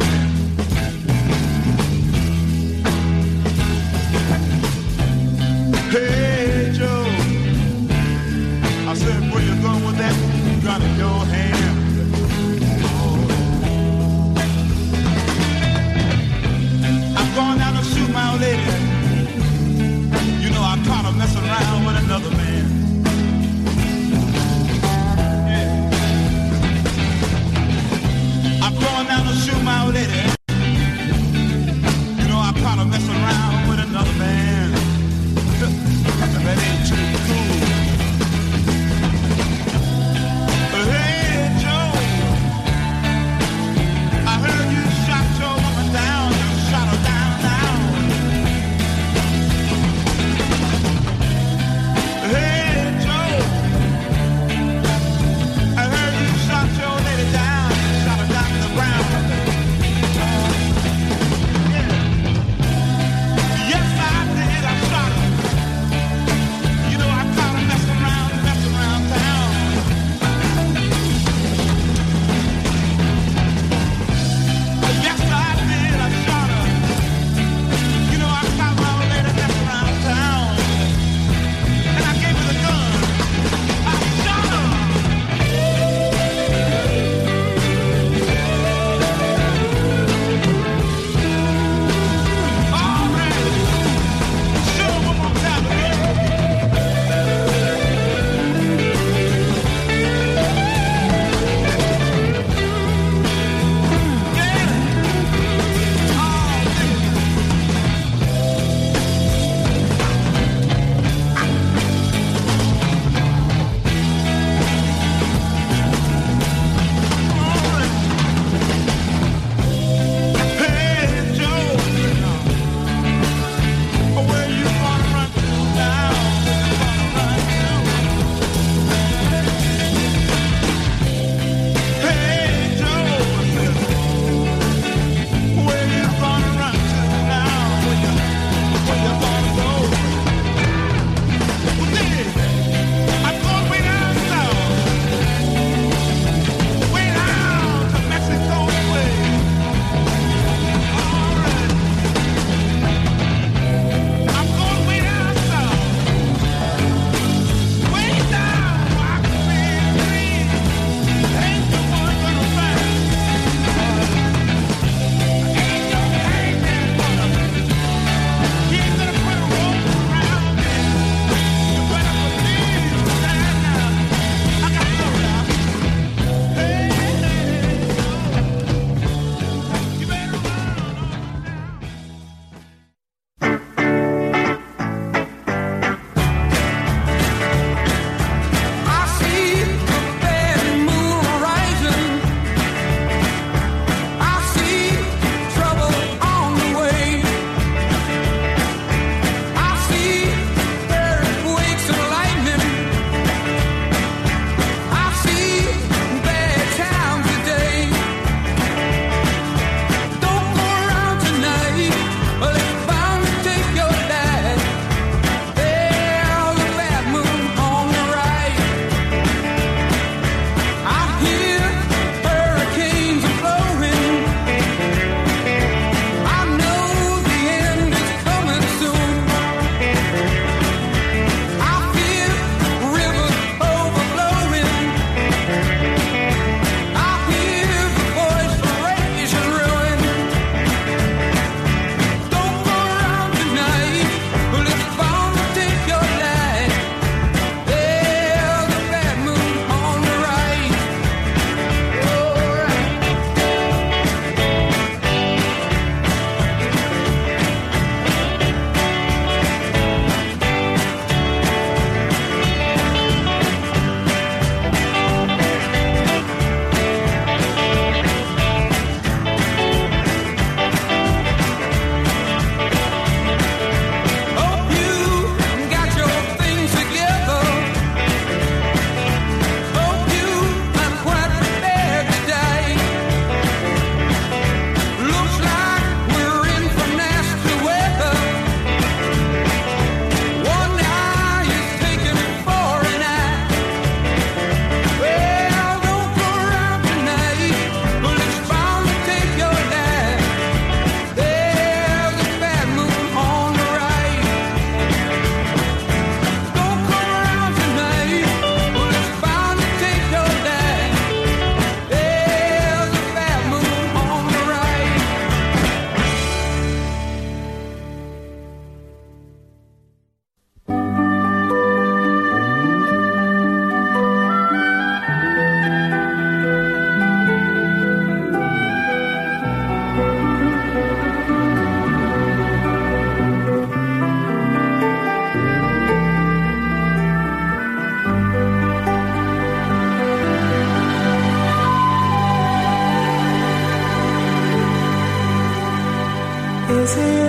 Speaker 8: see